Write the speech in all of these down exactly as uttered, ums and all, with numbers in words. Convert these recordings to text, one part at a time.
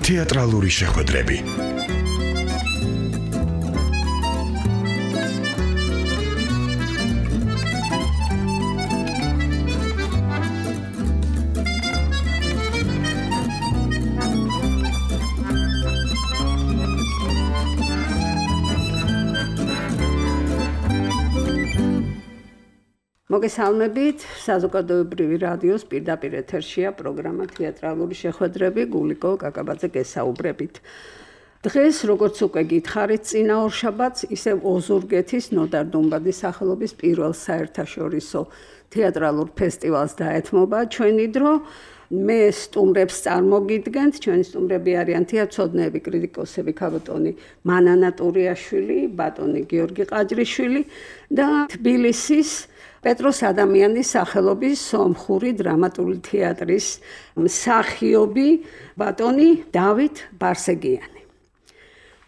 თეატრალური შეხვედრები. მოგესალმებით, საზოგადოებრივი რადიოს პირდაპირ ეთერშია პროგრამა თეატრალური შეხვედრები, გულიკო კაკაბაძე გესაუბრებით. დღეს, როგორც უკვე გითხარით, წინა ორშაბათს ისევ ოზურგეთის ნოდარ დუმბაძის სახელობის პირველ საერთაშორისო თეატრალურ ფესტივალს დაეთმობა ჩვენი დრო. მე სტუმრებს წარმოგიდგენთ, ჩვენი სტუმრები არიან თეატრცოდნეები, კრიტიკოსები, ქაბატონი მანანა ტურიაშვილი, ბატონი გიორგი ყაჯრიშვილი და თბილისის პეტროს ადამიანის სახელობის სომხური დრამატული თეატრის მსახიობი ბატონი დავით ბარსეგიანი.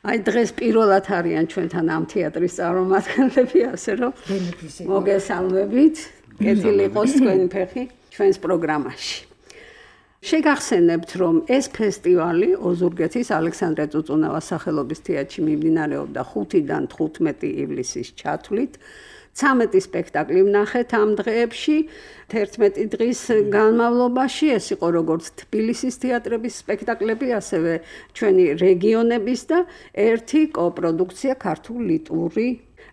აი დღეს პირველად არიან ჩვენთან ამ თეატრის წარმომადგენლები, ასე რომ მოგესალმებით, კეთილი იყოს თქვენი ფეხი ჩვენს პროგრამაში. შეგახსენებთ, რომ ეს ფესტივალი ოზურგეთის ალექსანდრე წუწუნავას სახელობის თეატრში მიმდინარეობდა ხუთიდან თხუთმეტი ივლისის ჩათვლით. ცამეტი სპექტაკლი ვნახეთ ამ დღეებში, თერთმეტი დღის განმავლობაში. ეს იყო როგორც თბილისის თეატრების სპექტაკლები, ასევე ჩვენი რეგიონების და ერთი კოპროდუქცია ქართულ ლიტვური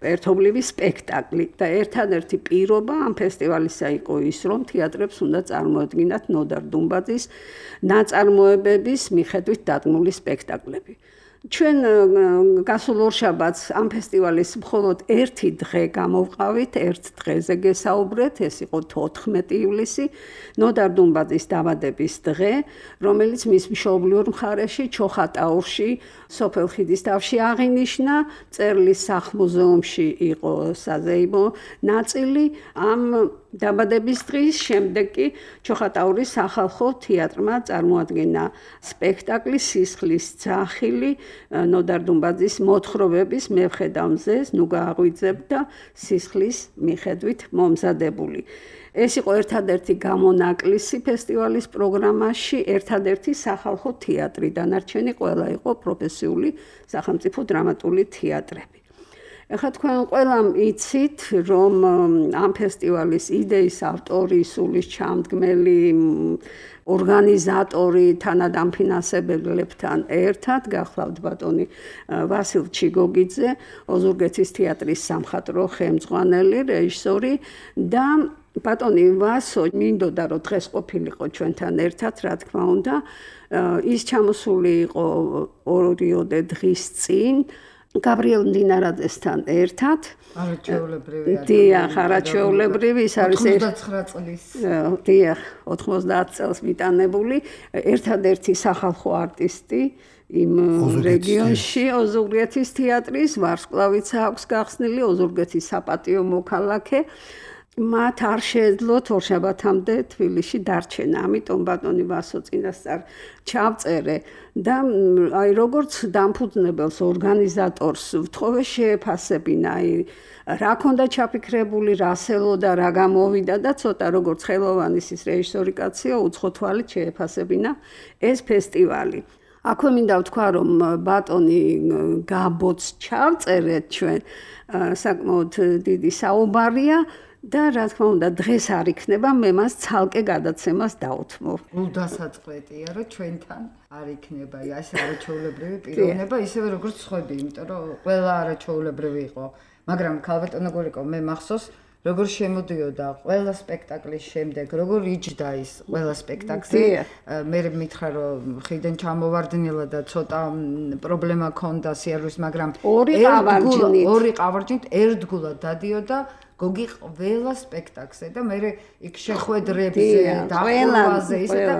ერთობლივი სპექტაკლი. და ერთადერთი პირობა ამ ფესტივალისა იყო ის, რომ თეატრებს უნდა წარმოედგინათ ნოდარ დუმბაძის ნაწარმოებების მიხედვით დადგმული სპექტაკლები. ჩვენ გასულ ორშაბათს ამ ფესტივალის მხოლოდ ერთი დღე გამოვყავით, ერთ დღეზე გესაუბრეთ, ეს იყო თოთხმეტი ივლისი, ნოდარ დუმბაძის დაბადების დღე, რომელიც მის მშობლიურ მხარეში, ჩოხატაურში, სოფელ ხიდის თავში აღინიშნა, წერლის სახლ-მუზეუმში იყო საზეიმო ნაწილი. ამ დაბადების დღის შემდეგ კი ჩოხატაურის სახალხო თეატრმა წარმოადგინა სპექტაკლი სისხლის ძახილი, ნოდარ დუმბაძის მოთხრობების მე ვხედავ მზეს, ნუ გააღვიძებ და სისხლის მიხედვით მომზადებული. ეს იყო ერთადერთი გამონაკლისი ფესტივალის პროგრამაში, ერთადერთი სახალხო თეატრი, დანარჩენი ყველა იყო პროფესიული სახელმწიფო დრამატული თეატრები. ეხლა თქვენ ყველამ იცით, რომ ამ ფესტივალის იდეის ავტორი, სულის ჩამდგმელი, ორგანიზატორი თანადამფინანსებელებთან ერთად გახლავთ ბატონი ვასილ ჩიგოგიძე, ოზურგეთის თეატრის სამხატვრო ხელმძღვანელი, რეჟისორი და ბატონი ვასო მინდოდა რომ დღეს ყოფილიყო ჩვენთან ერთად, რა თქმა უნდა, ის ჩამოსული იყო ორიოდე დღის წინ გაბრიელ მდინარაძესთან ერთად. არაჩვეულებრივი. დიახ, არაჩვეულებრივი, ის არის ოცდაათი წლის. დიახ, ოცდაათი წელს მიტანებული, ერთადერთი სახალხო არტისტი იმ რეგიონში, ოზურგეთის თეატრის, ვარსკვლავიც აქვს გახსნილი, ოზურგეთის საპატიო მოქალაქე. მათ არ შეეძლოთ ორშაბათამდე თბილისში დარჩენა, ამიტომ ბატონი ვასო წინასწარ ჩავწერე და აი როგორც დამფუძნებელს, ორგანიზატორს ვთხოვე შეეფასებინა, აი რა ქონდა ჩაფიქრებული, რა სელოდა, რა გამოვიდა და ცოტა როგორც ხელოვანის ის რეჟისორი კაცია, უცხო თვალით შეეფასებინა ეს ფესტივალი. აქვე მინდა ვთქვა, რომ ბატონი გაბოც ჩავწერეთ ჩვენ, საკმაოდ დიდი საუბარია. და რა თქმა უნდა დღეს არ იქნება, მე მას ცალკე გადაცემას დავუთმობ. გულდასაწყვეტია, რომ ჩვენთან არ იქნება ეს არაჩვეულებრივი პიროვნება, ისევე როგორც სხვები, იმიტომ რომ ყველა არაჩვეულებრივი იყო. მაგრამ ქალბატონო გულიკო, მე მახსოვს, როგორ შემოდიოდა ყველა სპექტაკლის შემდეგ, როგორ იჯდა ის ყველა სპექტაკლი. მე მითხრა, რომ ხიდან ჩამოვარდნილა და ცოტა პრობლემა ქონდა სიარვის, მაგრამ ორი ყავარჯნით, ორი ყავარჯნით ერთგულად დადიოდა გოგი ყველა სპექტაკლზე და მე იქ შეხვედრებზე, დახვევაზე, ისე და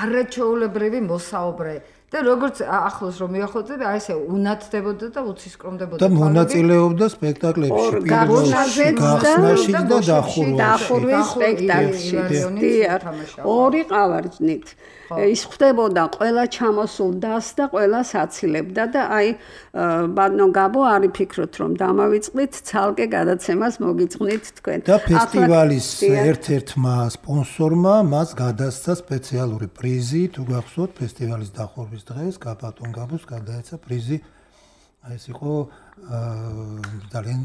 არაჩვეულებრივი მოსაუბრე. და როგორც ახლოს რომ მიახლოწები, აი ესე უნათდებოდა და უცისკრომდებოდა. და მონაწილეობდა სპექტაკლებში, პირველში, გახსნაში და დახურვის სპექტაკლში. ორი ყავარჯნით. ის ხდებოდა ყველა ჩამოსულ დას და ყველა საცილებდა და აი ბატონო გაბო არის ფიქრობთ რომ დამავიწყდით ცალკე გადაცემას მოგიწყვნით თქვენ. და ფესტივალის ერთ-ერთმა სპონსორმა მას გადასცა სპეციალური პრიზი, თუ გახსოვთ, ფესტივალის დახურვის ლიტერატურის დღეს გაბატონ გაბოს გადაეცა პრიზი. აი ეს იყო ძალიან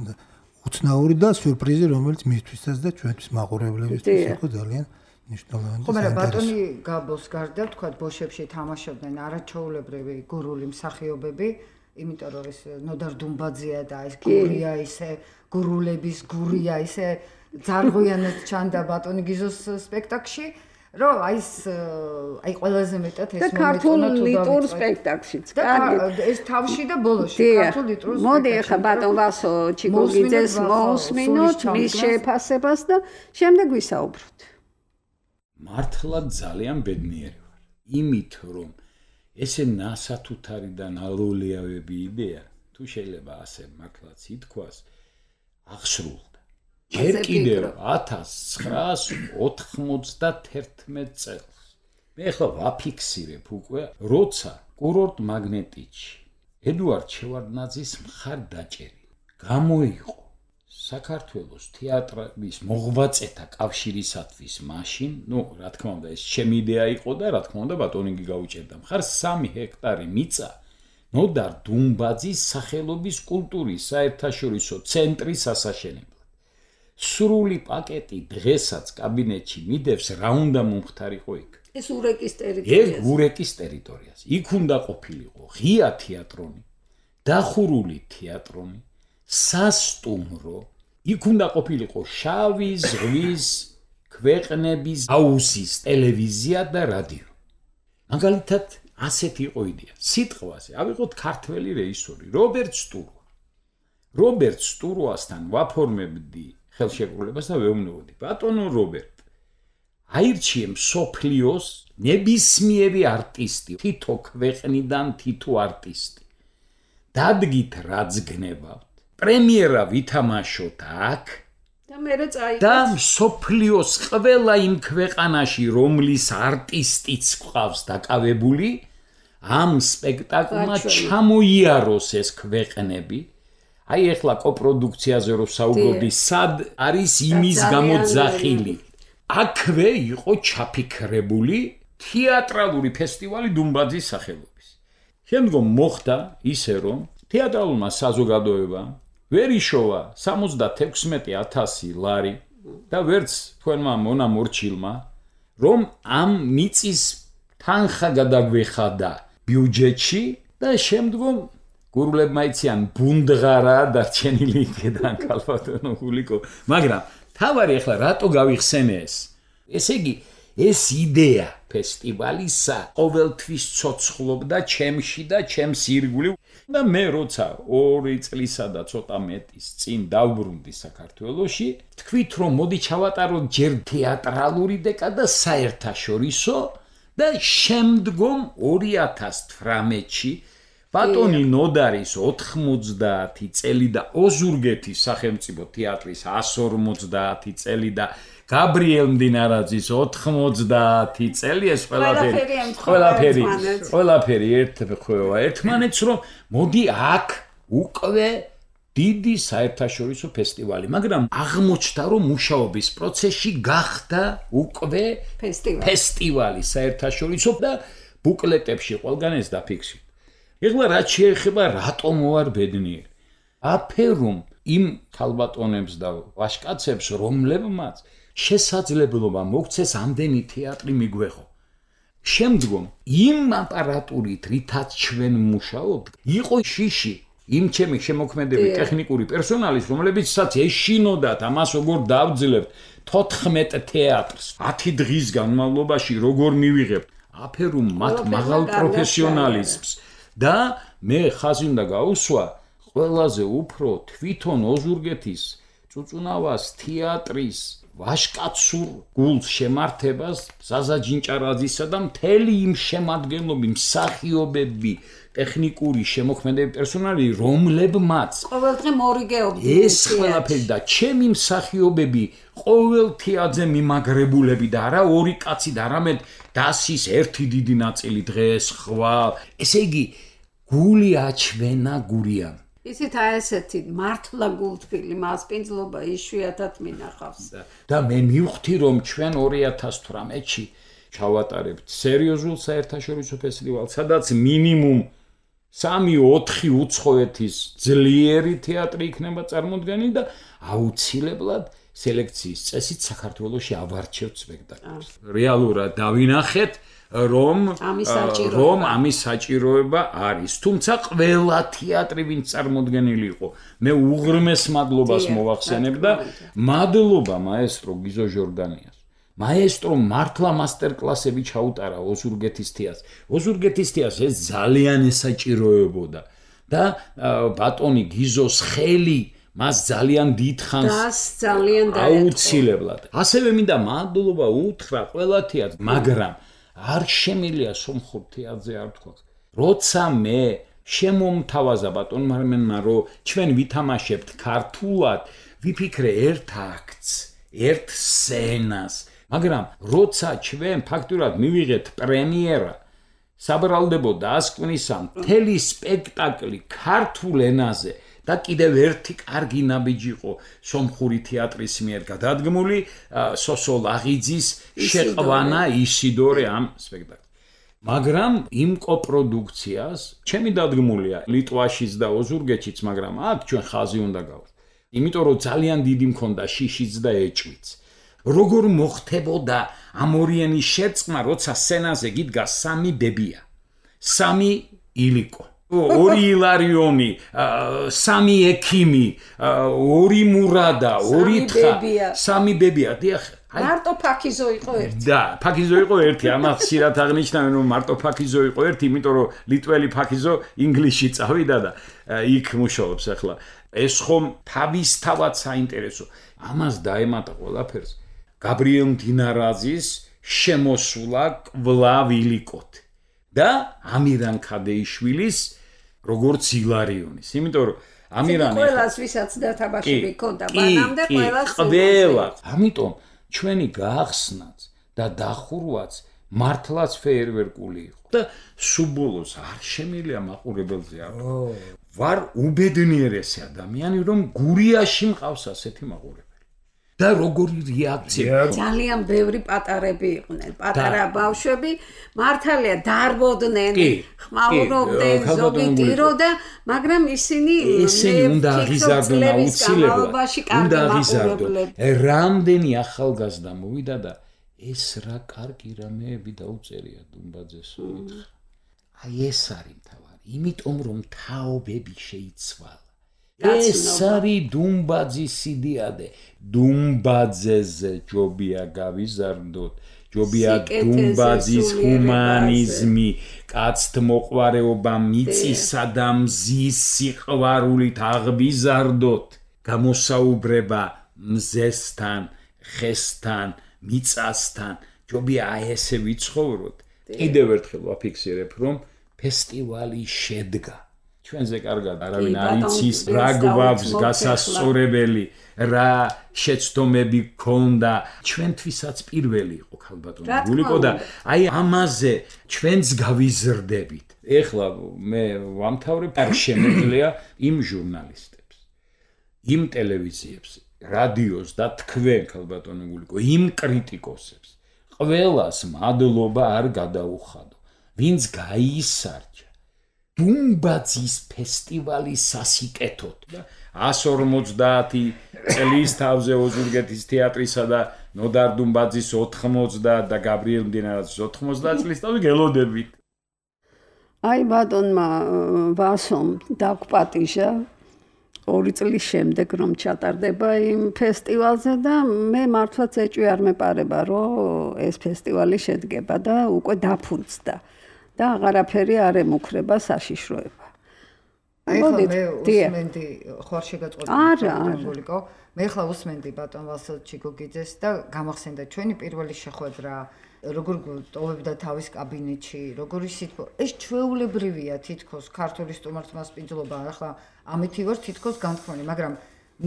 უცნაური და სიურპრიზი, რომელიც მისთვისაც და ჩვენთვის მაყურებლებისთვის იყო ძალიან მნიშვნელოვანი. ხო, მაგრამ ბატონი გაბოს გარდა თქვა ბოშებში თამაშობდნენ არაჩვეულებრივი გურული მსახიობები, იმიტომ რომ ეს ნოდარ დუმბაძეა და ეს გურია ისე გურულების გურია ისე ძარღვიანად ჩანდა ბატონი გიზოს სპექტაკლში, რომ აი ეს აი ყველაზე მეტად ეს მომენტი და ქართულ ლიტურ სპექტაკლშიც. კარგი, ეს თავში და ბოლოში ქართულ ლიტურ სპექტაკლში. მოდი ახლა ბატონ ვასო ჩიკუგიძეს მოусმინოთ მის შეფასებას და შემდეგ ვისაუბროთ. მართლა ძალიან ბედნიერი ვარ. იმით რომ ესე ნასათუთარი და ნალოლიავები იდეა, თუ შეიძლება ასე მართლაც ითქვას, აღსრულდა. ჯერ კიდევ ათას ცხრაას ოთხმოცდათერთმეტ წელს. მე ახლა ვაფიქსირებ უკვე, როცა კურორტ მაგნეტიჩი ედუარდ შევარდნაძის მხარდაჭერი გამოიყო საქართველოს თეატრის მოღვაწეთა კავშირისათვის მაშინ, ну, რა თქმა უნდა, ეს ჩემი იდეა იყო და რა თქმა უნდა ბატონინგი გაუჭერდა. მხარ სამი ჰექტარი მიწა ნოდარ დუმბაძის სახელობის კულტურის საერთაშორისო ცენტრის ასაშენებლად. სრული პაკეტი დღესაც კაბინეტში მიდევს, რა უნდა მომხდარიყო იქ. ეს ურეკის ტერიტორიაზე. ეს ურეკის ტერიტორიაზე. იქ უნდა ყოფილიყო ღია თეატრონი, დახურული თეატრონი, სასტუმრო, იქ უნდა ყოფილიყო შავი ზღვის ქვეყნების აუსის ტელევიზია და რადიო. მაგალითად, ასეთი იყო იდეა. სიტყვაზე ავიღოთ ქართველი რეჟისორი რობერტ სტურვა. რობერტ სტურვასთან ვაფორმებდი ხელშეკრულებას და ვეუბნებოდი, ბატონო რობერტ, აირჩიე მსოფლიოს ნებისმიერი არტისტი, თითო ქვეყნიდან თითო არტისტი. დადგით რაც გნებავთ. პრემიერა ვითამაშოთ აქ და მერე წაიღოთ და მსოფლიოს ყველა იმ ქვეყანაში, რომლის არტისტიც ყავს დაკავებული, ამ სპექტაკლმა ჩამოიაროს ეს ქვეყნები. აი ახლა კოპროდუქციაზე რო საუბრობდი, სად არის იმის გამოძახილი. აქვე იყო ჩაფიქრებული თეატრალური ფესტივალი დუმბაძის სახელობის. შემდგომ მოხდა ისე, რომ თეატრალურმა საზოგადოებამ ვერ იშოვა სამოცდათექვსმეტი ათასი ლარი და ვერც თქვენმა მონამორჩილმა, რომ ამ მიწის თანხა გადაგვეხადა ბიუჯეტში და შემდგომ გურულებმა იციან ბუნდღარა დარჩენილი იქედან ქალბატონო გულიკო, მაგრამ თავარი ახლა რატო გავიხსენე ეს? ესე იგი, ეს იდეა ფესტივალისა ყოველთვის ცოცხლობდა ჩემში და ჩემს ირგვლივ და მე როცა ორი წლისა და ცოტა მეტის წინ დავბრუნდი საქართველოში, თქვით რომ მოდი ჩავატაროთ ჯერ თეატრალური დეკა და საერთაშორისო და შემდგომ ორი ათას თვრამეტში ბატონი ნოდარის ოთხმოცდაათი წელი და ოზურგეთის სახელმწიფო თეატრის ასი ორმოცდაათი წელი და გაბრიელ მდინარაძის ოთხმოცდაათი წელი ეს ყველაფერი ყველაფერი ყველაფერი ერთმეხვევა ერთმანეთს რომ მოდი აქ უკვე დიდი საერთაშორისო ფესტივალი, მაგრამ აღმოჩნდა რომ მუშაობის პროცესში გახდა უკვე ფესტივალი ფესტივალი საერთაშორისო და ბუკლეტებში ყველგან ეს დაფიქსირდა. ეხლა რაც შეეხება რატომ ვარ ბედნიერი? აფერუმ იმ ქალბატონებს და ვაჟკაცებს, რომლებმაც შესაძლებლობა მოგცეს ამდენი თეატრი მიგვეღო. შემდგომ იმ აპარატურით, რითაც ჩვენ მუშაობთ, იყო შიში იმ ჩემი შემოქმედები ტექნიკური პერსონალის, რომლებიცაც ეშინოდათ ამას როგორ დავძლებთ თოთხმეტ თეატრს ათი დღის განმავლობაში როგორ მივიღებთ. აფერუმ მათ მაღალ პროფესიონალიზმს და მე ხაზი უნდა გაუსვა ყველაზე უფრო თვითონ ოზურგეთის წუწუნავას თეატრის ვაჟკაცურ გულს შემართებას ზაზა ჯინჭარაძისა და მთელი იმ შემადგენლობი მსახიობები ტექნიკური შემოქმედები პერსონალი რომლებმაც ყოველდღე მორიგეობდნენ ეს ყველაფერი და ჩემი მსახიობები ყოველ თეატრზე მიმაგრებულები და არა ორი კაცი და არამედ დასის ერთი დიდი ნაწილი დღეს ხვალ ესე იგი გული აჩვენა გურიან ისეთ აი ესეთი მართლა გულთბილი მასპინძლობა იშვიათად მინახავს და მე მივხვდი რომ ჩვენ ორი ათას თვრამეტში ჩავატარებთ სერიოზულ საერთაშორისო ფესტივალს, სადაც მინიმუმ სამი ოთხი უცხოეთის ძლიერი თეატრი იქნება წარმოდგენილი და აუცილებლად სელექციის წესით საქართველოში ავარჩევთ სპექტაკლებს. რეალურად დავინახეთ რომ რომ ამის საჭიროება არის. თუმცა ყველა თეატრი ვინც წარმოდგენილი იყო, მე უღრმეს მადლობას მოვახსენებ და მადლობა მაესტრო გიზო ჟორდანიას. მაესტრო მართლა მასტერკლასები ჩაუტარა ოზურგეთის თეატრს. ოზურგეთის თეატრს ეს ძალიან ესაჭიროებოდა და ბატონი გიზოს ხელი მას ძალიან დიდხანს ძალიან აუცილებლად. ასევე მინდა მადლობა უთხრა ყველა თეატრს, მაგრამ არ შემილია სომხურ თეატრზე არ თქვა. როცა მე შემომთავაზა ბატონ მარმენმა რომ ჩვენ ვითამაშებთ ქართულად, ვიფიქრე ერთ აქტს, ერთ სცენას, მაგრამ როცა ჩვენ ფაქტურად მივიღეთ პრემიერა, საბრალდებო დასკვნისა მთელი სპექტაკლი ქართულ ენაზე და კიდევ ერთი კარგი ნაბიჯი იყო სომხური თეატრის მიერ გადადგმული სოსო ლაღიძის შეყვანა ისიდორე ამ სპექტაკლს. მაგრამ იმ კოპროდუქციას ჩემი დადგმულია ლიტვაშიც და ოზურგეთშიც, მაგრამ აქ ჩვენ ხაზი უნდა გავხსნათ. იმიტომ რომ ძალიან დიდი მქონდა შიშიც და ეჭვიც. როგორ მოხდებოდა ამ ორიენის შერწყმა, როცა სცენაზე გიდგა სამი ბებია, სამი ილიკო, ორი ილარიონი, სამი ექიმი, ორი მურადა, ორი თხა, სამი ბებია. დიახ, მარტო ფაქიზო იყო ერთი. და, ფაქიზო იყო ერთი, ამას ხშირად აღნიშნავენ, რომ მარტო ფაქიზო იყო ერთი, იმიტომ რომ ლიტველი ფაქიზო ინგლისში წავიდა და იქ მუშაობს ახლა. ეს ხომ თავისთავად საინტერესო. ამას დაემატა ყველაფერს გაბრიელ მდინარაძის შემოსვლა კვლავ ილიკოთ და ამირან ქადეიშვილის როგორც ილარიონის. იმიტომ რომ ამირანი ყველას ვისაც დათაბაშები ქონდა მანამდე ყველას ყველა. ამიტომ ჩვენი გაახსნაც და დახურვაც მართლაც ფეერვერკული იყო და სუბოლოს არ შემილია მაყურებელზე არ ვარ უბედნიერესი ადამიანი რომ გურიაში მყავს ასეთი მაყურებელი. და როგორი რეაქცია. ძალიან ბევრი პატარები იყვნენ, პატარა ბავშვები, მართალია დარბოდნენ, ხმაურობდნენ, ზოგი ტიროდა, მაგრამ ისინი ისინი უნდა აღიზარდონ აუცილებლად. უნდა აღიზარდონ. რამდენი ახალგაზრდა მოვიდა და ეს რა კარგი რამეები დაუწერია დუმბაძეს. აი ეს არის მთავარი, იმიტომ რომ თაობები შეიცვალა. ეს არის დუმბაძის იდეადე. დუმბაძეზე ჯობია გავიზარდოთ, ჯობია დუმბაძის ჰუმანიზმი, კაცთმოყვარეობა, მიწისა და მზის სიყვარულით აღბიზარდოთ. გამოსაუბრება მზესთან, ხესთან, მიწასთან, ჯობია ესე ვიცხოვროთ. კიდევ ერთხელ ვაფიქსირებ, რომ ფესტივალი შედგა. ჩვენზე კარგად არავინ არ იცის რა გვაქვს გასასწორებელი, რა შეცდომები გქონდა. ჩვენთვისაც პირველი იყო ქალბატონი გულიკო და აი ამაზე ჩვენც გავიზრდებით. ეხლა მე ვამთავრებ არ შემეძლია იმ ჟურნალისტებს, იმ ტელევიზიებს, რადიოს და თქვენ ქალბატონი გულიკო, იმ კრიტიკოსებს. ყველას მადლობა არ გადაუხადო, ვინც გაისარჯა დუმბაძის ფესტივალის სასიკეთოდ და ას ორმოცდაათი წლის თავზე ოზურგეთის თეატრისა და ნოდარ დუმბაძის ოთხმოცდა და გაბრიელ მდინარაძის ოთხმოცდა წლის თავზე გელოდებით. აი ბატონმა ვასომ დაგპატიჟა ორი წლის შემდეგ რომ ჩატარდება იმ ფესტივალზე და მე მართლაც ეჭვი არ მეპარება რომ ეს ფესტივალი შედგება და უკვე დაფუძდა. და აღარაფერი არ ემუქრება საშიშროება. აი ხო მე უსმენდი ხوار შეგაწყვეტილი გულიკო. მე ხლა უსმენდი ბატონ ვასილ ჩიგოგიძეს და გამახსენდა ჩვენი პირველი შეხვედრა, როგორ ტოვებდა თავის კაბინეტში, როგორი სიტყვა. ეს ჩვეულებრივია თითქოს ქართული სტუმართმასპინძლობა, ახლა ამითი ვარ თითქოს განთქმული, მაგრამ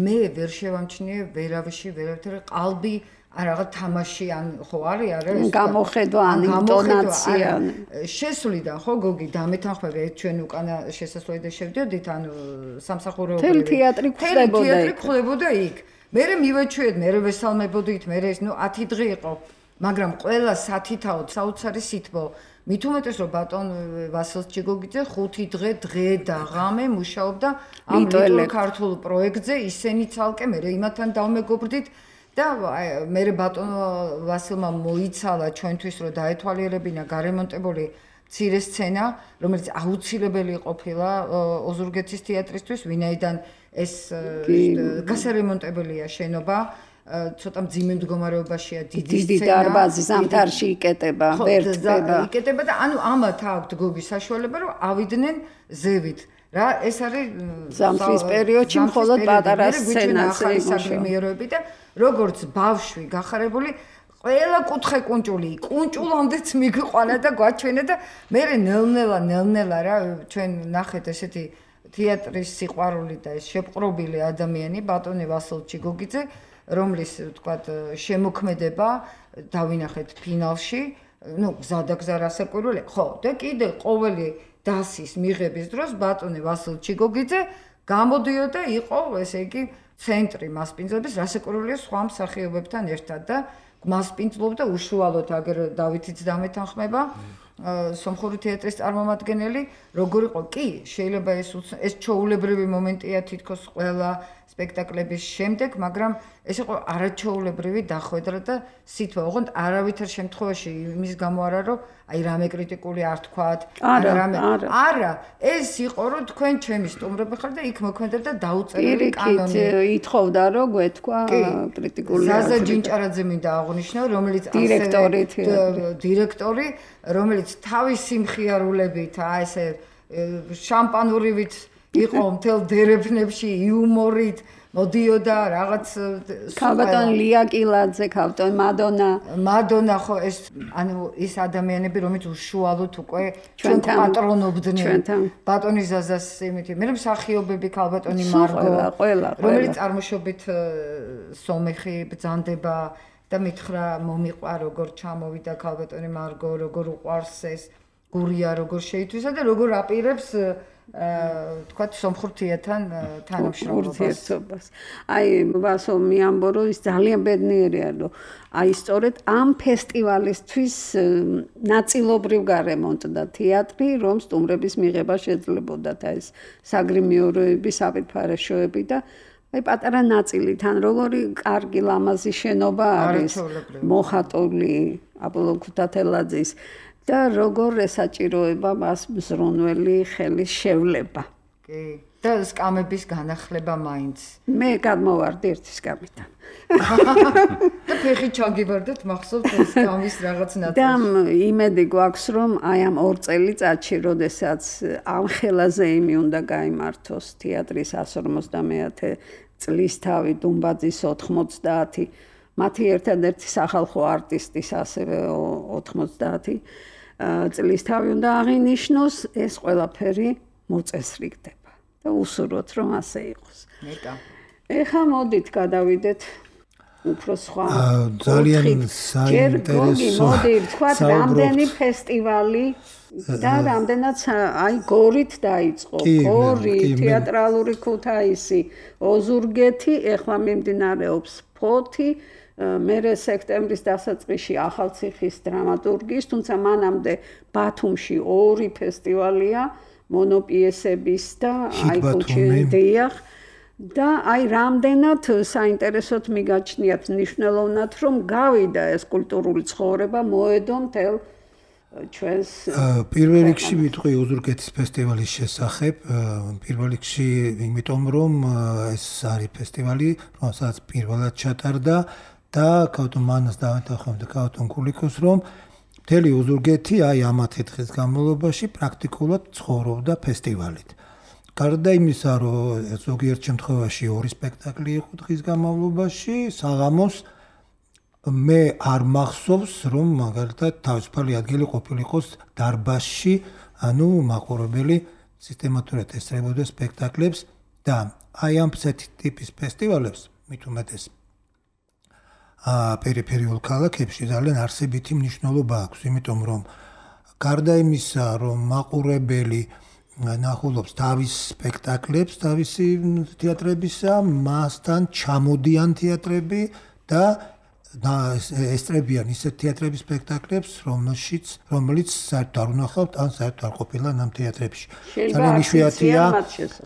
მე ვერ შევამჩნიე ვერავში ვერავითარ ყალბი არა თამაში ან ხო არის არის გამოხედვა ან ინტონაცია შესვლიდან ხო გოგი დამეთანხმები ჩვენ უკანა შესასვლელიდან შევდიოდით ან სამსახურეობრივი თელ თეატრი ხდებოდა თეატრი ხდებოდა იქ მე მივეჩვიეთ მე ვესალმებოდით მე ეს ნუ ათი დღე იყო მაგრამ ყველა სათითაოდ საოცარი სითბო. მით უმეტეს რომ ბატონ ვასილ ჩიგოგიძე ხუთი დღე დღე და ღამე მუშაობდა ამ ლიტულ ქართულ პროექტზე, ისინი ცალკე მე იმათთან დავმეგობრდით და მე ბატონ ვასილმა მოიცალა ჩვენთვის რომ დაეთვალიერებინა გარემონტებული მცირე სცენა, რომელიც აუცილებელი ყოფილა ოზურგეთის თეატრისთვის, ვინაიდან ეს გასარემონტებელია შენობა. ცოტა მძიმე მდგომარეობაშია დიდი სცენა. დიდი დარბაზი ზამთარში იკეტება, ვერტდება. იკეტება და ანუ ამათ აქვთ გოგის საშუალება რომ ავიდნენ ზევით. რა ეს არის ზამთრის პერიოდში მხოლოდ პატარა სცენაზე იმუშავებდი და როგორც ბავშვი გახარებული ყველა კუთხე კუნჭული, კუნჭულამდეც მიგვიყვანა და გვაჩვენა და მე ნელ-ნელა ნელ-ნელა რა ჩვენ ნახეთ ესეთი თეატრის სიყვარული და ეს შეპყრობილი ადამიანი ბატონი ვასილ ჩიგოგიძე რომლის ვთქვათ შემოქმედება დავინახეთ ფინალში, ну გზადაგზა რასაკვირველი. ხო, და კიდე ყოველი დასის მიღების დროს ბატონი ვასილ ჩიგოგიძე გამოდიოდა იყო ესე იგი ცენტრი მასპინძლობის რასაკვირველია სხვა მსახიობებთან ერთად და მასპინძლობდა უშუალოდ აგერ დავითიც დამეთანხმება სომხური თეატრის წარმომადგენელი როგორ იყო კი შეიძლება ეს ეს ჩაულებრივი მომენტია თითქოს ყველა სპექტაკლების შემდეგ მაგრამ ეს იყო არაჩვეულებრივი დახვედრა და სითბო ოღონდ არავითარ შემთხვევაში იმის გამო არა რომ აი რამე კრიტიკული არ თქვათ არა რამე არა ეს იყო რომ თქვენ ჩემი სტუმრები ხართ და იქ მოქმედებდა დაუწერელი კანონი ითხოვდა რომ გვეთქვა კრიტიკული ზაზა ჯინჭარაძე მინდა აღნიშნო რომელიც დირექტორი დირექტორი რომელიც თავისი მხიარულებით აი ესე შამპანურივით იყო მთელ დერეფნებში იუმორით მოდიოდა რაღაც ქალბატონ ლია კილაძე, ქალბატონ მადონა. მადონა ხო ეს ანუ ის ადამიანები რომით უშუალოდ უკვე ჩვენთან პატრონობდნენ. ბატონი ზაზას იმითი, მე მსახიობები ქალბატონი მარგო, რომელიც წარმოშობით სომეხი ბრძანდება და მითხრა მომიყვა როგორ ჩამოვიდა ქალბატონი მარგო, როგორ უყვარს ეს გურია, როგორ შეითვისა და როგორ აპირებს თქვა სომხურ თეატრთან თანამშრომლობას. აი ვასო მიამბო რომ ის ძალიან ბედნიერია რომ აი სწორედ ამ ფესტივალისთვის ნაწილობრივ გარემონტდა თეატრი რომ სტუმრების მიღება შეძლებოდა და ეს საგრიმიოროები, საპირფარეშოები და აი პატარა ნაწილი თან როგორი კარგი ლამაზი შენობა არის მოხატული აპოლო ქუთათელაძის და როგორ ესაჭიროება მას მზრუნველი ხელის შევლება. კი. და სკამების განახლება მაინც. მე გადმოვარდი ერთი სკამიდან. და ფეხი ჩაგიბარდეთ მახსოვთ სკამის რაღაც ნაწილს. და იმედი გვაქვს რომ აი ამ ორ წელიწადში, როდესაც ამ ხელაზე იმი უნდა გაიმართოს თეატრის εκατს ორმოცდამეათე წლისთავი დუმბაძის ოთხმოცდაათი მათი ერთადერთი სახალხო არტისტის ასევე ოთხმოცდაათი წლისთავი უნდა აღინიშნოს, ეს ყველაფერი მოწესრიგდება და უსურვოთ რომ ასე იყოს. ნეტა. ეხლა მოდით გადავიდეთ უფრო სხვა ძალიან საინტერესო მოდი ვთქვათ რამდენი ფესტივალი და რამდენად აი გორით დაიწყო გორი თეატრალური ქუთაისი ოზურგეთი ეხლა მიმდინარეობს ფოთი მერე სექტემბრის დასაწყისში ახალციხის დრამატურგიის თუმცა მანამდე ბათუმში ორი ფესტივალია მონოპიესების და აი კულტურდიახ და აი რამდენად საინტერესოდ მიგაჩნიათ მნიშვნელოვნად რომ გავიდა ეს კულტურული ცხოვრება მოედო მთელ ჩვენს პირველ რიგში ვიტყვი ოზურგეთის ფესტივალის შესახებ პირველ რიგში იმიტომ რომ ეს არის ფესტივალი რომელსაც პირველად ჩატარდა და ქავთონ მანას დავეთანხმდა ქავთონ კულიკოს რომ მთელი ოზურგეთი აი ამათი დღის განმავლობაში პრაქტიკულად ცხოვრობდა ფესტივალით. გარდა იმისა, რომ ზოგიერთ შემთხვევაში ორი სპექტაკლი იყო დღის განმავლობაში, საღამოს მე არ მახსოვს, რომ მაგალითად თავისუფალი ადგილი ყოფილიყოს დარბაზში, ანუ მაყურებელი სისტემატურად ესწრებოდა სპექტაკლებს და აი ამ ტიპის ფესტივალებს მით უმეტეს ა პერიფერიულ ქალაქებში ძალიან არსებითი მნიშვნელობა აქვს, იმიტომ რომ გარდა იმისა, რომ მაყურებელი ნახულობს თავის სპექტაკლებს, თავისი თეატრებისა, მასთან ჩამოდიან თეატრები და ესტრებიან ისეთ თეატრების სპექტაკლებს, რომელშიც რომელიც საერთოდ არ უნახავთ ან საერთოდ არ ყოფილა ამ თეატრებში. ძალიან იშვიათია,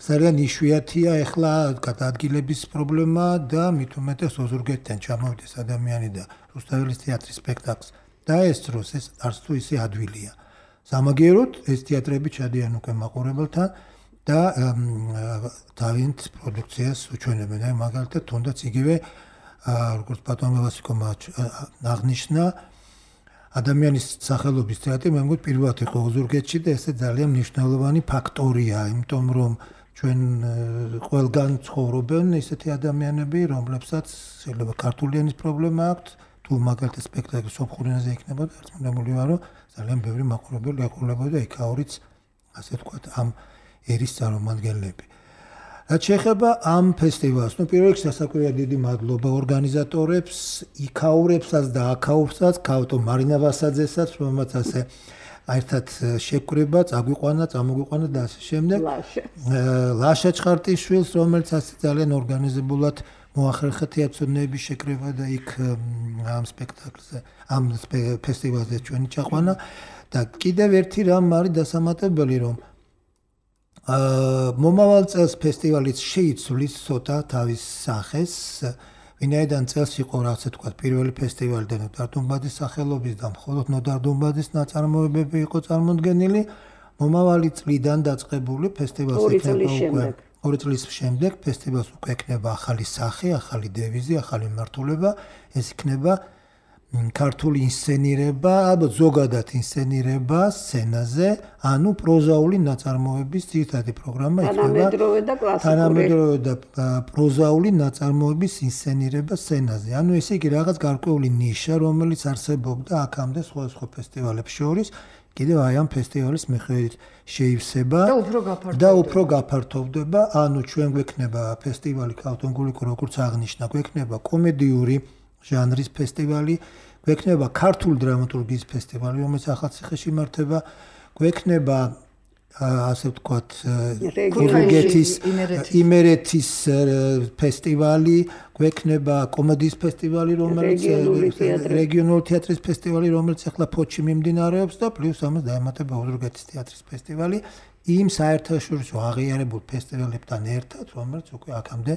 ძალიან იშვიათია ახლა გადაადგილების პრობლემა და მით უმეტეს ოზურგეთიდან ჩამოვიდეს ადამიანი და რუსთაველის თეატრის სპექტაკლს დაესწროს, ეს არც თუ ისე ადვილია. სამაგიეროდ ეს თეატრები ჩადიან უკვე მაყურებელთან და თავიანთ პროდუქციას უჩვენებენ. აი მაგალითად თუნდაც იგივე როგორც ბატონმა ვასიკომა აღნიშნა ადამიანის სახელობის თეატრი მე მგონი პირველად იყო ოზურგეთში და ეს ძალიან მნიშვნელოვანი ფაქტორია, იმიტომ რომ ჩვენ ყველგან ცხოვრობენ ესეთი ადამიანები, რომლებსაც შეიძლება ქართული ენის პრობლემა აქვთ, თუ მაგალითად სპექტაკლი სომხურ ენაზე იქნებოდა, არწმუნებული ვარ, რომ ძალიან ბევრი მაყურებელი ეყოლებოდა იქაურიც, ასე ვთქვათ, ამ ერის წარმომადგენლები. რაც შეეხება ამ ფესტივალს, ну პირველ რიგში სასაკვირველად დიდი მადლობა ორგანიზატორებს, იქაურებსაც და აქაურებსაც, ქავტო მარინა ვასაძესაც, რომელმაც ასე ერთად შეკვრება, წაგვიყვანა, წამოგვიყვანა და ასე შემდეგ. ლაშა ჩხარტიშვილს, რომელიც ასე ძალიან ორგანიზებულად მოახერხა თეატრონების შეკრება და იქ ამ სპექტაკლზე, ამ ფესტივალზე ჩვენი ჩაყვანა და კიდევ ერთი რამ არის დასამატებელი, რომ მომავალ წელს ფესტივალიც შეიცვლის ცოტა თავის სახეს, ვინაიდან წელს იყო ასე თქვა პირველი ფესტივალი და ნოდარ დუმბაძის სახელობის და მხოლოდ ნოდარ დუმბაძის ნაწარმოებები იყო წარმოდგენილი, მომავალი წლიდან დაწყებული ფესტივალს იქნება უკვე ორი წლის შემდეგ ფესტივალს უკვე ექნება ახალი სახე, ახალი დევიზი, ახალი მიმართულება, ეს იქნება ქართული ინსცენირება, ალბათ ზოგადად ინსცენირება სცენაზე, ანუ პროზაული ნაწარმოების ძირითადი პროგრამა იქნება თანამედროვე და კლასიკური. თანამედროვე და პროზაული ნაწარმოების ინსცენირება სცენაზე. ანუ ესე იგი რაღაც გარკვეული ნიშა, რომელიც არსებობდა აქამდე სხვადასხვა ფესტივალებს შორის, კიდევ აი ამ ფესტივალის მიხედვით შეივსება და უფრო გაფართოვდება. და უფრო გაფართოვდება, ანუ ჩვენ გვექნება ფესტივალი ქავტონგულიკო, როგორც აღნიშნა, გვექნება კომედიური ჟანრის ფესტივალი, გვექნება ქართული დრამატურგიის ფესტივალი, რომელიც ახალციხეში იმართება, გვექნება ასე ვთქვათ რეგიონის იმერეთის ფესტივალი, გვექნება კომედიის ფესტივალი, რომელიც რეგიონული თეატრის ფესტივალი, რომელიც ახლა ფოთში მიმდინარეობს და პლუს ამას დაემატება ოზურგეთის თეატრის ფესტივალი, იმ საერთაშორისო აღიარებულ ფესტივალებთან ერთად, რომელიც უკვე აქამდე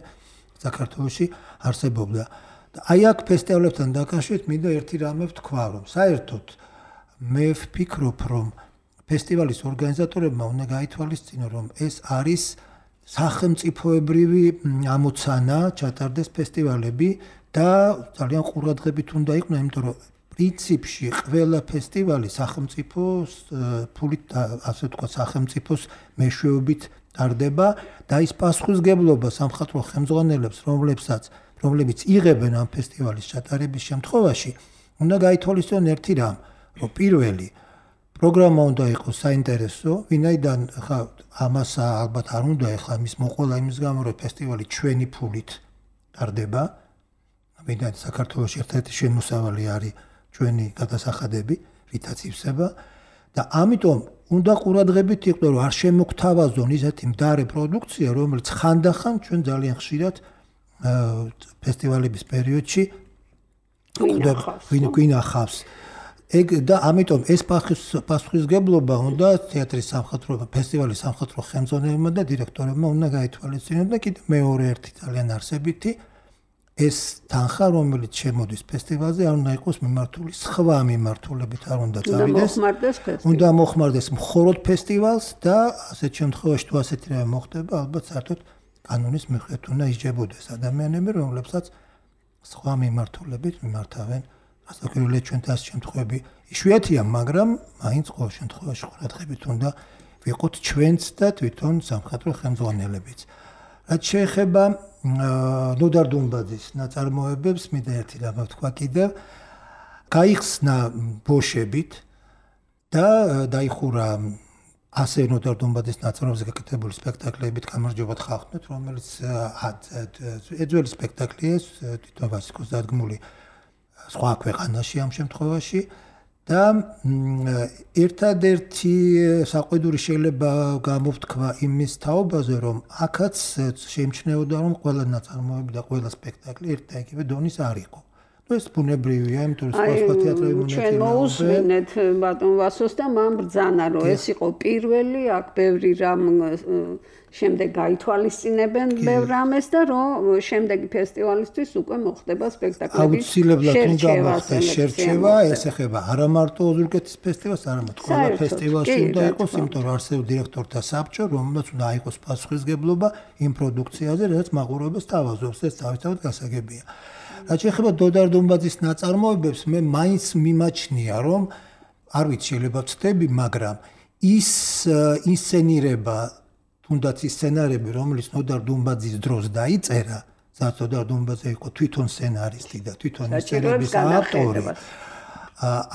საქართველოში არსებობდა. აი აქ ფესტივალებთან დაკავშირებით მინდა ერთი რამე ვთქვა, რომ საერთოდ მე ვფიქრობ, რომ ფესტივალის ორგანიზატორებმა უნდა გაითვალისწინონ, რომ ეს არის სახელმწიფოებრივი ამოცანა ჩატარდეს ფესტივალები და ძალიან ყურადღებით უნდა იყვნენ, იმიტომ რომ პრინციპში ყველა ფესტივალი სახელმწიფოს ფულით, ასე ვთქვათ, სახელმწიფოს მეშვეობით ტარდება და ის პასუხისმგებლობა სამხატვრო ხელმძღვანელებს, რომლებსაც რომლებიც იღებენ ამ ფესტივალის ჩატარების შემთხვევაში, უნდა გაითვალისწინონ ერთი რამ, რომ პირველი პროგრამა უნდა იყოს საინტერესო, ვინაიდან ხა ამას ალბათ არ უნდა ეხლა მის მოყოლა იმის გამო, რომ ფესტივალი ჩვენი ფულით ტარდება, ვინაიდან საქართველოს ერთ-ერთი შემოსავალი არის ჩვენი გადასახადები, რითაც ივსება და ამიტომ უნდა ყურადღებით იყვნენ, რომ არ შემოგთავაზონ ისეთი მდარე პროდუქცია, რომელიც ხანდახან ჩვენ ძალიან ხშირად ფესტივალების პერიოდში გვინახავს. ეგ და ამიტომ ეს პასუხისმგებლობა უნდა თეატრის სამხატვრო ფესტივალის სამხატვრო ხელმძღვანელებმა და დირექტორებმა უნდა გაითვალისწინონ და კიდევ მეორე ერთი ძალიან არსებითი ეს თანხა, რომელიც შემოდის ფესტივალზე, არ უნდა იყოს მიმართული სხვა მიმართულებით, არ უნდა წავიდეს. უნდა მოხმარდეს მხოლოდ ფესტივალს და ასეთ შემთხვევაში თუ ასეთი რამე მოხდება, ალბათ საერთოდ კანონის მიხედვით უნდა ისჯებოდეს ადამიანები, რომლებსაც სხვა მიმართულებით მიმართავენ. ასაკერელია ჩვენ თას შემთხვევები იშვიათია, მაგრამ მაინც ყოველ შემთხვევაში ყურადღებით უნდა ვიყოთ ჩვენც და თვითონ სამხატვრო ხელმძღვანელებიც. რაც შეეხება ნოდარ დუმბაძის ნაწარმოებებს, მინდა ერთი რამ ვთქვა კიდევ, გაიხსნა ბოშებით და დაიხურა ასე ნოდარ დუმბაძის ნაწარმოებებზე გაკეთებული სპექტაკლებით გამარჯვებათ ხალხნოთ, რომელიც ეძველი სპექტაკლია, თვითონ ვასიკოს დადგმული სხვა ქვეყანაში ამ შემთხვევაში და ერთადერთი საყვედური შეიძლება გამოვთქვა იმის თაობაზე, რომ აქაც შეიმჩნეოდა, რომ ყველა ნაწარმოები და ყველა სპექტაკლი ერთ და იგივე დონის არ იყო. ეს ბუნებრივია, იმიტომ რომ სხვა სხვა თეატრები მონაწილეობენ. ჩვენ მოусმინეთ ბატონ ვასოს და მან ბრძანა, რომ ეს იყო პირველი, აქ ბევრი რამ შემდეგ გაითვალისწინებენ ბევრ რამეს და რომ შემდეგი ფესტივალისთვის უკვე მოხდება სპექტაკლების აუცილებლად უნდა მოხდეს შერჩევა, ეს ეხება არა მარტო ოზურგეთის ფესტივალს, არამედ ყველა ფესტივალში უნდა იყოს, იმიტომ რომ არსებობს დირექტორთა საბჭო, რომელსაც უნდა აიღოს პასუხისმგებლობა იმ პროდუქციაზე, რაც მაყურებელს თავაზობს, ეს თავისთავად გასაგებია. რაც შეეხება დოდარ დუმბაძის ნაწარმოებებს, მე მაინც მიმაჩნია, რომ არ ვიცი, შეიძლება ვცდები, მაგრამ ის ინსცენირება, თუნდაც ის სცენარები, რომელიც დოდარ დუმბაძის დროს დაიწერა, სადაც დოდარ დუმბაძე იყო თვითონ სცენარისტი და თვითონ ინსცენირების ავტორი,